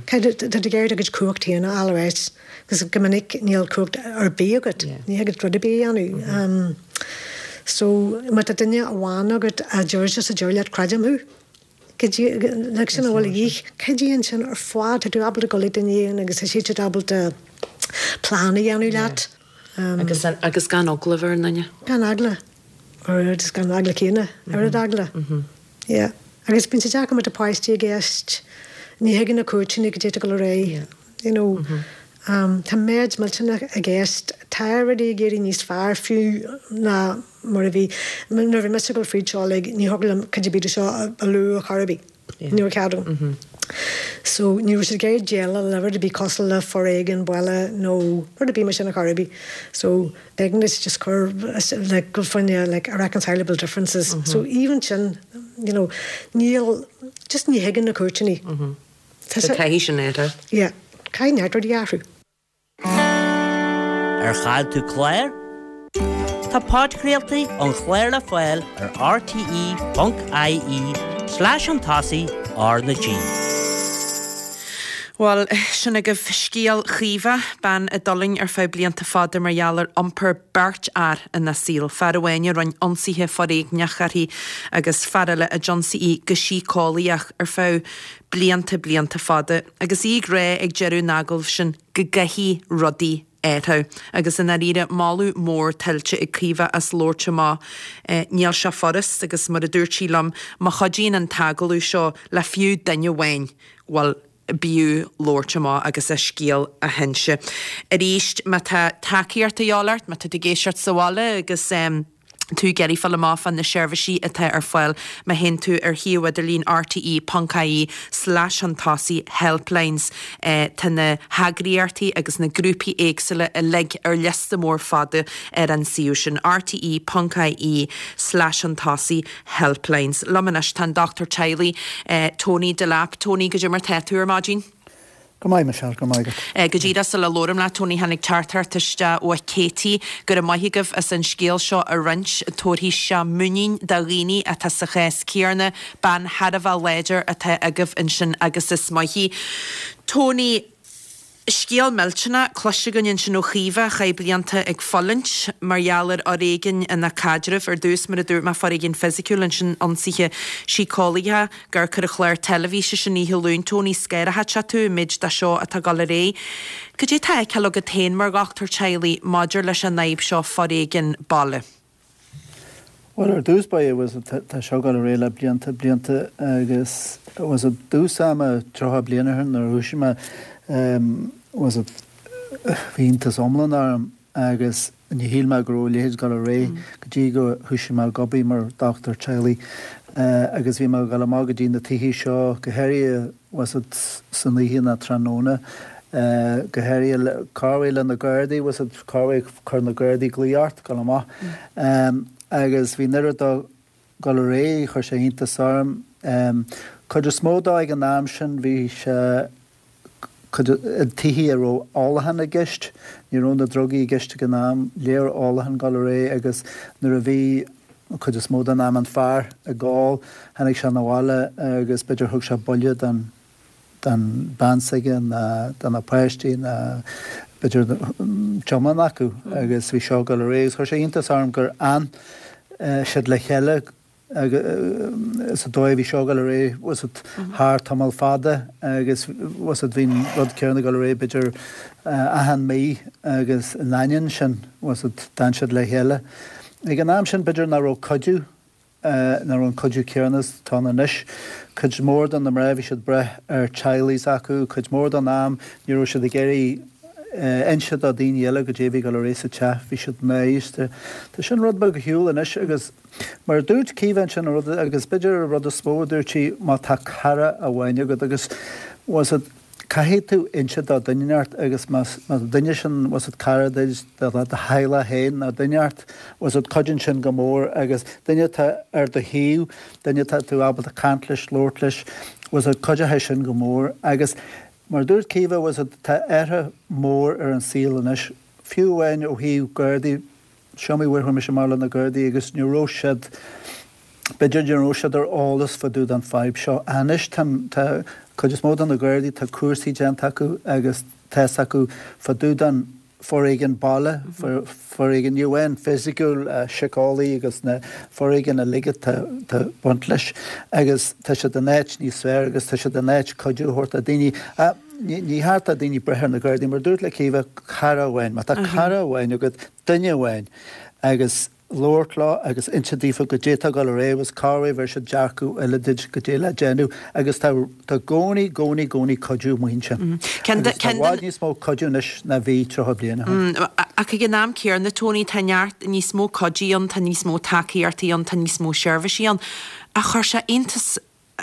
Tá tú ag iarraidh do chuid cumhacht féin a fháil ar ais agus go minic níl cumhacht ar bith agat, ní thig leat rud ar bith a dhéanamh. So má tá duine amháin agat a deir just a deir leat creidim thú, like sin a bhfuil a dhíth, cuidíonn sin ar fad, tá tú ábalta dul ag duine éigin agus tá siad ábalta plean a dhéanamh leat. Agus agus gan eagla a bheith ar an nduine. Gan eagla. Or just gan eagla céanna. Oiread eagla. Yeah. Agus bíonn sé deacair má tá páistí i gceist, ní thuigeann na cúirteanna goidé atá ag dul ar aghaidh. You know. Tá méid millteanach i gceist. Tá rudaí ag éirí níos fearr fiú ná mar a bhí. Nuair a bhí mise ag dul fríd seo uilig, ní thiocfadh liom cuid ar bith de seo a lua ar chor ar bith. Ní raibh cead agam. So ní raibh siad ag iarraidh déileáil le rud ar bith cosúil le foréigean baile nó rud ar bith mar sin ar chor ar bith. So b'éigean duit just cur like go foinne like irreconcilable differences. So even sin, you know, níl, just ní thuigeann na cúirteanna. Tá taithí sin agat. Yeah. Caithfidh neart rudaí athrú. Ar chaill tú clár? Tá podchraoltaí an chláir le fáil ar rte.ie slash chun tosaigh R na G. Bhuel, sin agaibh scéal Chaoimhe, bean a d'fhulaing ar feadh blianta fada mar gheall ar iompar beirt fhear ina saol, fear amháin a rinne ionsaithe foréigneach uirthi agus fear eile a d'ionsaigh í go síceolaíoch ar feadh blianta, blianta fada. Agus í ag rá ag deireadh an agallaimh sin go gcaithfidh rudaí athrú. Agus i ndáiríre, moladh mór tuillte ag Caoimhe as labhairt amach. Níl sé furast agus mar a dúirt sí liom, má chuidíonn an t-agallamh seo le fiú duine amháin, bhuel, b'fhiú labhairt amach agus a scéal a hinse. Arís, má tá tacaíocht a dhíobháil ort, má tá tú ag éisteacht sa bhaile agus tú ag iarraidh fáil amach fá na seirbhísí atá ar fáil, má théann tú ar shuíomh idirlín rte ponc ie slash chun tosaigh helplines tá na heagraíochtaí agus na grúpaí éagsúla uilig ar liosta mór fada ar an suíomh sin, rte ponc ie slash chun tosaigh helplines. Liom anois tá an dochtúir teaghlaigh, Tony Delap. Tony, goidé mar tá tú ar maidin? Go maith, Michelle, go raibh maith agat. Go díreach sula labhraím leat, Tony, tháinig teachtaireacht isteach ó Katie. Go raibh maith agaibh as an scéal seo a roinnt. Tabharfaidh sé muinín do dhaoine atá sa chás céanna. Bean thar a bheith láidir atá agaibh ansin agus is maith í. Tony. Scéal millteanach cloiste againn ansin ó Chaoimhe, a chaith blianta ag fulaingt mar gheall ar fhoréigean ina caidreamh. Ar dtús, mar a dúirt mé, foréigean fisiciúil, ansin ionsaithe síceolaíocha. Ag amharc ar an chlár teilifíse sin oíche Luain, Tony, scanraíonn sé tú an méid de seo atá ag dul ar aghaidh. Cad é atá á fheiceáil agat féin mar dhochtúir teaghlaigh maidir leis an fhadhb seo foréigean baile? Bhuel, ar dtús báire, bhuel, tá seo ag dul ar aghaidh le blianta, blianta agus bhuel, i dtús ama, 30 bliain ó shin nuair a thoisigh mé, bhuel, bhí iontas iomlán orm agus ní shíl mé go raibh a leithéid ag dul ar aghaidh go dtí go thoisigh mé ag obair mar dhochtúir teaghlaigh agus bhí mé ag dul amach go dtí na tithe seo, go háirithe, bhuel, san oíche nó tráthnóna, go háirithe corruair le na Gardaí, bhuel, corruair chuir na Gardaí glaoch ort dul amach agus bhí an oiread dó ag dul ar aghaidh, chuir sé iontas orm. Cuid is mó dó ag an am sin bhí sé cuid i tithe a raibh ólachán i gceist, ní raibh na drugaí i gceist ag an am, léir ólachán ag dul ar aghaidh agus nuair a bhí an cuid is mó den am an fear ag ól, tháinig sé 'na bhaile agus b'fhéidir thug sé buille don don bean s'aige ná do na páistí ná b'fhéidir an t-iomlán acu agus bhí seo ag dul ar aghaidh agus chuir sé iontas orm gur fhan siad le chéile sa dóigh a bhí seo ag dul ar aghaidh bhfuil fhios agat thar tamall fada agus bhfuil fhios agat bhí an rud céanna ag dul ar aghaidh b'fhéidir achan mí agus in ainneoin sin bhfuil fhios agat d'fhan siad le chéile. Ag an am sin b'fhéidir nach raibh cuidiú nach raibh an cuidiú céanna is atá ann anois. Cuid mhór de na mná bhí siad ag brath ar teaghlaigh s'acu, cuid mhór den am ní raibh siad ag iarraidh inse do daoine eile goidé a bhí ag dul ar aghaidh sa teach, bhí siad náiríste. Tá sin rud beag ar shiúl anois agus mar a dúirt Caoimhe ansin an rud agus b'fhéidir an rud is mó a dúirt sí má tá cara amháin agat agus bhfuil fhios agat Caithfidh tú inse do duine inteacht agus más an duine sin bhfuil fhios agat cara duit, do theaghlach féin nó duine inteacht, bhfuil fhios agat cuidíonn sin go mór agus duine atá ar do thaobh, duine atá tú ábalta caint leis, labhairt leis, bhfuil fhios agat cuideoidh sin go mór agus mar a dúirt Caoimhe, bhfuil fhios agat tá athrú mór ar an saol anois, fiú amháin ó thaobh Gardaí, Is iomaí uair chuaigh mise amach le na Gardaí agus ní raibh siad, b'fhéidir ní raibh siad ar eolas fá dtaobh den fadhb seo. Anois tá, tá cuid is mó de na Gardaí, tá cúrsaí déanta acu agus tá fhios acu fá dtaobh den foréigean baile, foréigean ní amháin fisiciúil, síceolaí agus na foréigean uilig atá ag baint leis agus tá siad in áit níos fearr agus tá siad in áit cuidiú a thabhairt do daoine. Ní cheart do daoine brath ar na Gardaí, mar a dúirt le Caoimhe, cara amháin. Má tá cara amháin agat, duine amháin, agus labhairt leo agus inse daofa goidé atá ag dul ar aghaidh agus corruair bheir siad dearcadh eile duit goidé le déanamh agus tá tá gcónaí, gcónaí, gcónaí cuidiú amuigh ansin. Agus tá i bhfad níos mó cuidiú anois ná bhí 30 bliain ó shin. Ach ag an am céanna, Tony, tá neart níos mó cuidí ann, tá níos mó tacaíochtaí ann, tá níos mó seirbhísí ann. Ach chuir sé iontas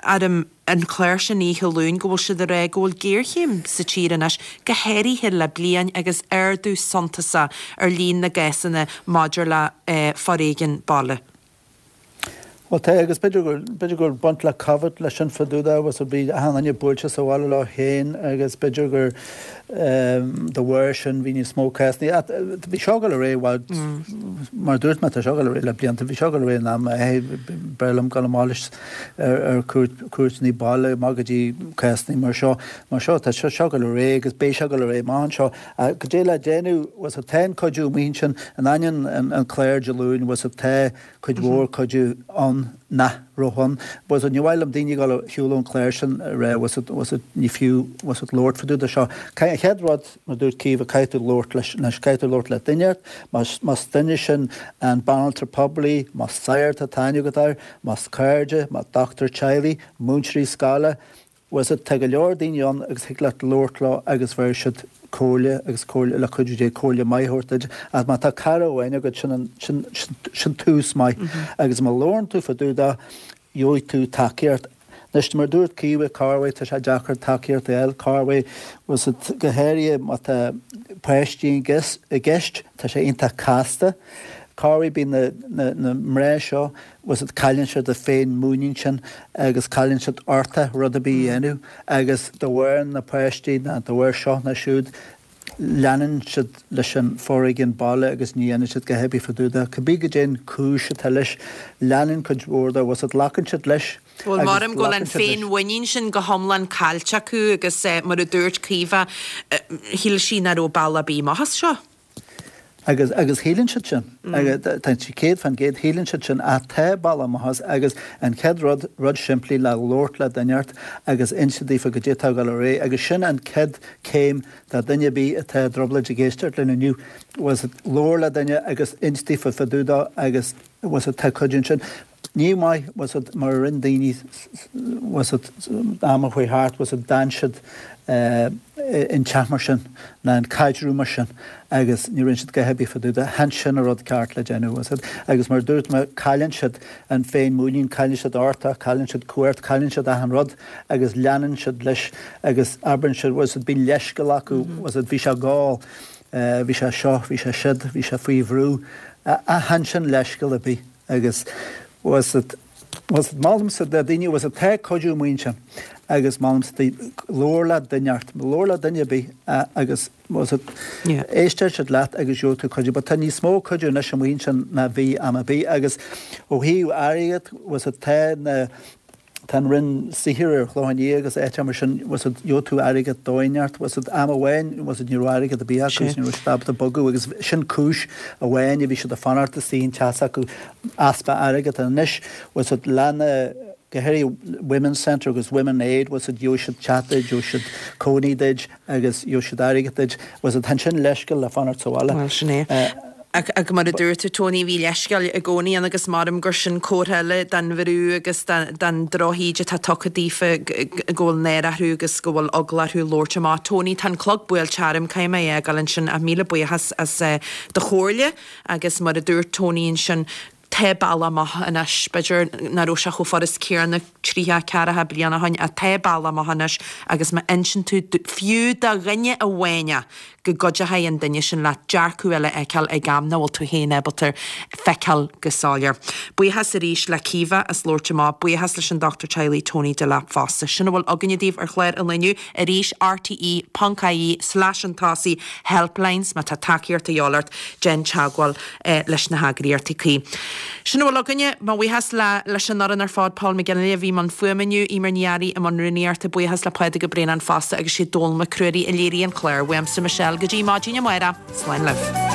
orm an clár sin oíche Luain go bhfuil siad ag rá go bhfuil géarchéim sa tír anois, go háirithe le bliain agus ardú suntasach ar líon na gcásanna maidir le foréigean baile. Bhuel tá, agus b'fhéidir go, b'fhéidir go bhfuil baint le Covid leis sin fá dtaobh de, bhfuil 's a'd, bhí achan duine buailte sa bhaile leo féin agus b'fhéidir gur de bharr sin bhí níos mó cásanna. Ach bhí seo ag dul ar aghaidh i bhfad, mar a dúirt mé, tá seo ag dul ar aghaidh le blianta, bhí seo ag dul ar aghaidh in am, b'fhearr liom dul amach leis ar cuairt, cuairteanna baile, amach go dtí cásanna mar seo, mar seo, tá seo ag dul ar aghaidh agus beidh sé ag dul ar aghaidh amach anseo. Ach goidé le déanamh, bhfuil 's a'd, tá an cuidiú amuigh ansin, in ainneoin an clár Dé Luain, bhfuil 's a'd, tá, cuid mhór cuidiú ann nach raibh ann. Bhfuil 's a'd, ní mhaith liom daoine ag dul ar shiúl ón chlár sin a rá bhfuil 's a'd, bhfuil 's a'd, ní fiú, bhfuil 's a'd, labhairt fá dtaobh de seo. An chéad rud, mar a dúirt Caoimhe, caithfidh tú labhairt leis, anois, caithfidh tú labhairt le duine ort, más, más duine sin an banaltra poiblí, más sagart atá aithne agat air, más cairde, más dochtúir teaghlaigh, múinteoirí scoile, Bhfuil 's a'd, tá go leor daoine ann agus thig leat labhairt leo agus bhéarfaidh siad comhairle agus comhairle, le cuidiú Dé, comhairle maith a thabhairt duit. Ach má tá cara amháin agat, sin an, sin, sin, sin tús maith. Agus má labhrann tú fá dtaobh de, gheobhaidh tú tacaíocht. Anois, mar a dúirt Caoimhe, corruair, tá sé deacair tacaíocht a fháil, corruair, bhfuil 's a'd, go háirithe má tá páistí i gceist, tá sé iontach casta. Corruair bíonn na, na, na mná seo, bhfuil 's a'd, cailleann siad a féin-mhuinín sin agus cailleann siad uchtach rud ar bith a dhéanamh agus de bharr na páistí ná de bharr seo ná siúd leanann siad leis an foréigean baile agus ní dhéanann siad a dhath ar bith fá dtaobh de. Cibé goidé an cúis atá leis, leanann cuid mhór de, bhfuil 's a'd, glacann siad leis Bhuel, agus maram go bhfuil an glacann siad leis. féin-mhuinín sin go hiomlán caillte acu agus mar a dúirt Caoimhe, shíl sí nach raibh bealach ar bith amach as seo. Agus, agus shíleann siad sin, tá sé 100%, shíleann siad sin, ach tá bealach amach as agus an chéad rud, rud simplí le labhairt le duine ort agus inse daofa goidé atá ag dul ar aghaidh agus sin an chéad céim do duine ar bith atá i dtrioblóid ag éisteacht linn inniu, bhfuil 's a'd, labhair le duine agus ins daofa fá dtaobh dó agus, bhfuil 's a'd, tá cuidiú ansin. Ní maith, bhfuil 's a'd, mar a rinne daoine, bhfuil 's a'd, am a chuaigh thart, bhfuil 's a'd, d'fhan siad in teach mar sin, ná in caidreamh mar sin agus ní rinne siad a dhath ar bith fá dtaobh de. Chan sin an rud ceart le déanamh, bhfuil 's a'd. Agus mar a dúirt mé, cailleann siad an féin-mhuinín, cailleann siad uchtach, cailleann siad cumhacht, cailleann siad achan rud agus leanann siad leis agus abrann siad, bhfuil 's a'd, bíonn leithscéal acu, bhfuil 's a'd, bhí sé ag ól, bhí sé seo, bhí sé siúd, bhí sé faoi bhrú. Chan sin leithscéal ar bith. Agus bhfuil 's a'd, bhfuil 's a'd, molaimse do daoine, bhfuil 's a'd, tá cuidiú amuigh ansin agus molaimse daoibh labhair le duine ort, labhair le duine ar bith agus bhfuil 's a'd, éistfidh siad leat agus gheobhaidh tú cuidiú. But tá níos mó cuidiú anois amuigh ansin ná bhí am ar bith agus ó thaobh airgead, bhfuil 's a'd, tá na, Tá an Roinn Saothair ar Chlochán Liath agus áiteacha mar sin, bhfuil 's a'd, gheobhaidh tú airgead dóigh inteacht, bhfuil 's a'd, am amháin, bhfuil 's a'd, ní raibh airgead ar bith acu agus ní raibh siad ábalta bogadh agus sin cúis amháin a bhí siad ag fanacht istigh in teach s'acu, easpa airgead. Anois, bhfuil 's a'd, le na, go háirithe Women's Centre agus Women Aid, bhfuil 's a'd, gheobhaidh siad teach duit, gheobhaidh siad cónaí duit agus gheobhaidh siad airgead duit, bhfuil 's a'd, chan sin leithscéal le fanacht sa bhaile. Bhuel, sin é. Ach mar a dúirt tú, Tony, bhí leithscéal i gcónaí ann agus maram gur sin comhartha eile den bhrú agus den drochíde atá tugtha daofa go bhfuil náire orthu agus go bhfuil eagla orthu labhairt amach. Tony, tá an clog buailte orm, caithfidh mé a fhágáil ansin ach míle buíochas as do chomhairle agus mar a dúirt Tony ansin, tá bealach amach anois. B'fhéidir nach raibh sé chomh furast céanna tríocha, ceathracha bliain ó shin ach tá bealach amach anois agus má inseann tú fiú do dhuine amháin é, go gcuideochaidh an duine sin leat dearcadh eile a fheiceáil ag am nach bhfuil tú féin ábalta feiceáil go soiléir. Buíochas arís le Caoimhe as labhairt amach, buíochas leis an Dochtúir Teaghlaigh Tony Delap fosta. Sin a bhfuil againne daoibh ar chlár an lae inniu. Arís, rte ponc ie slash chun tosaigh helplines má tá tacaíocht a dhíobháil ort, déan teagmháil leis na heagraíochtaí cuí. Sin a bhfuil againne. Mo bhuíochas le leis an fhoireann ar fad, Paul McGinley a bhí i mbun fuaime inniu, Eimear Ní Fhearraigh i mbun rúnaíochta, buíochas le Pádraig Ó Braonáin fosta agus sé Dónal Mac Ruairí a léirigh an clár. Uaimse Michelle go dtí maidin amárach, slán libh.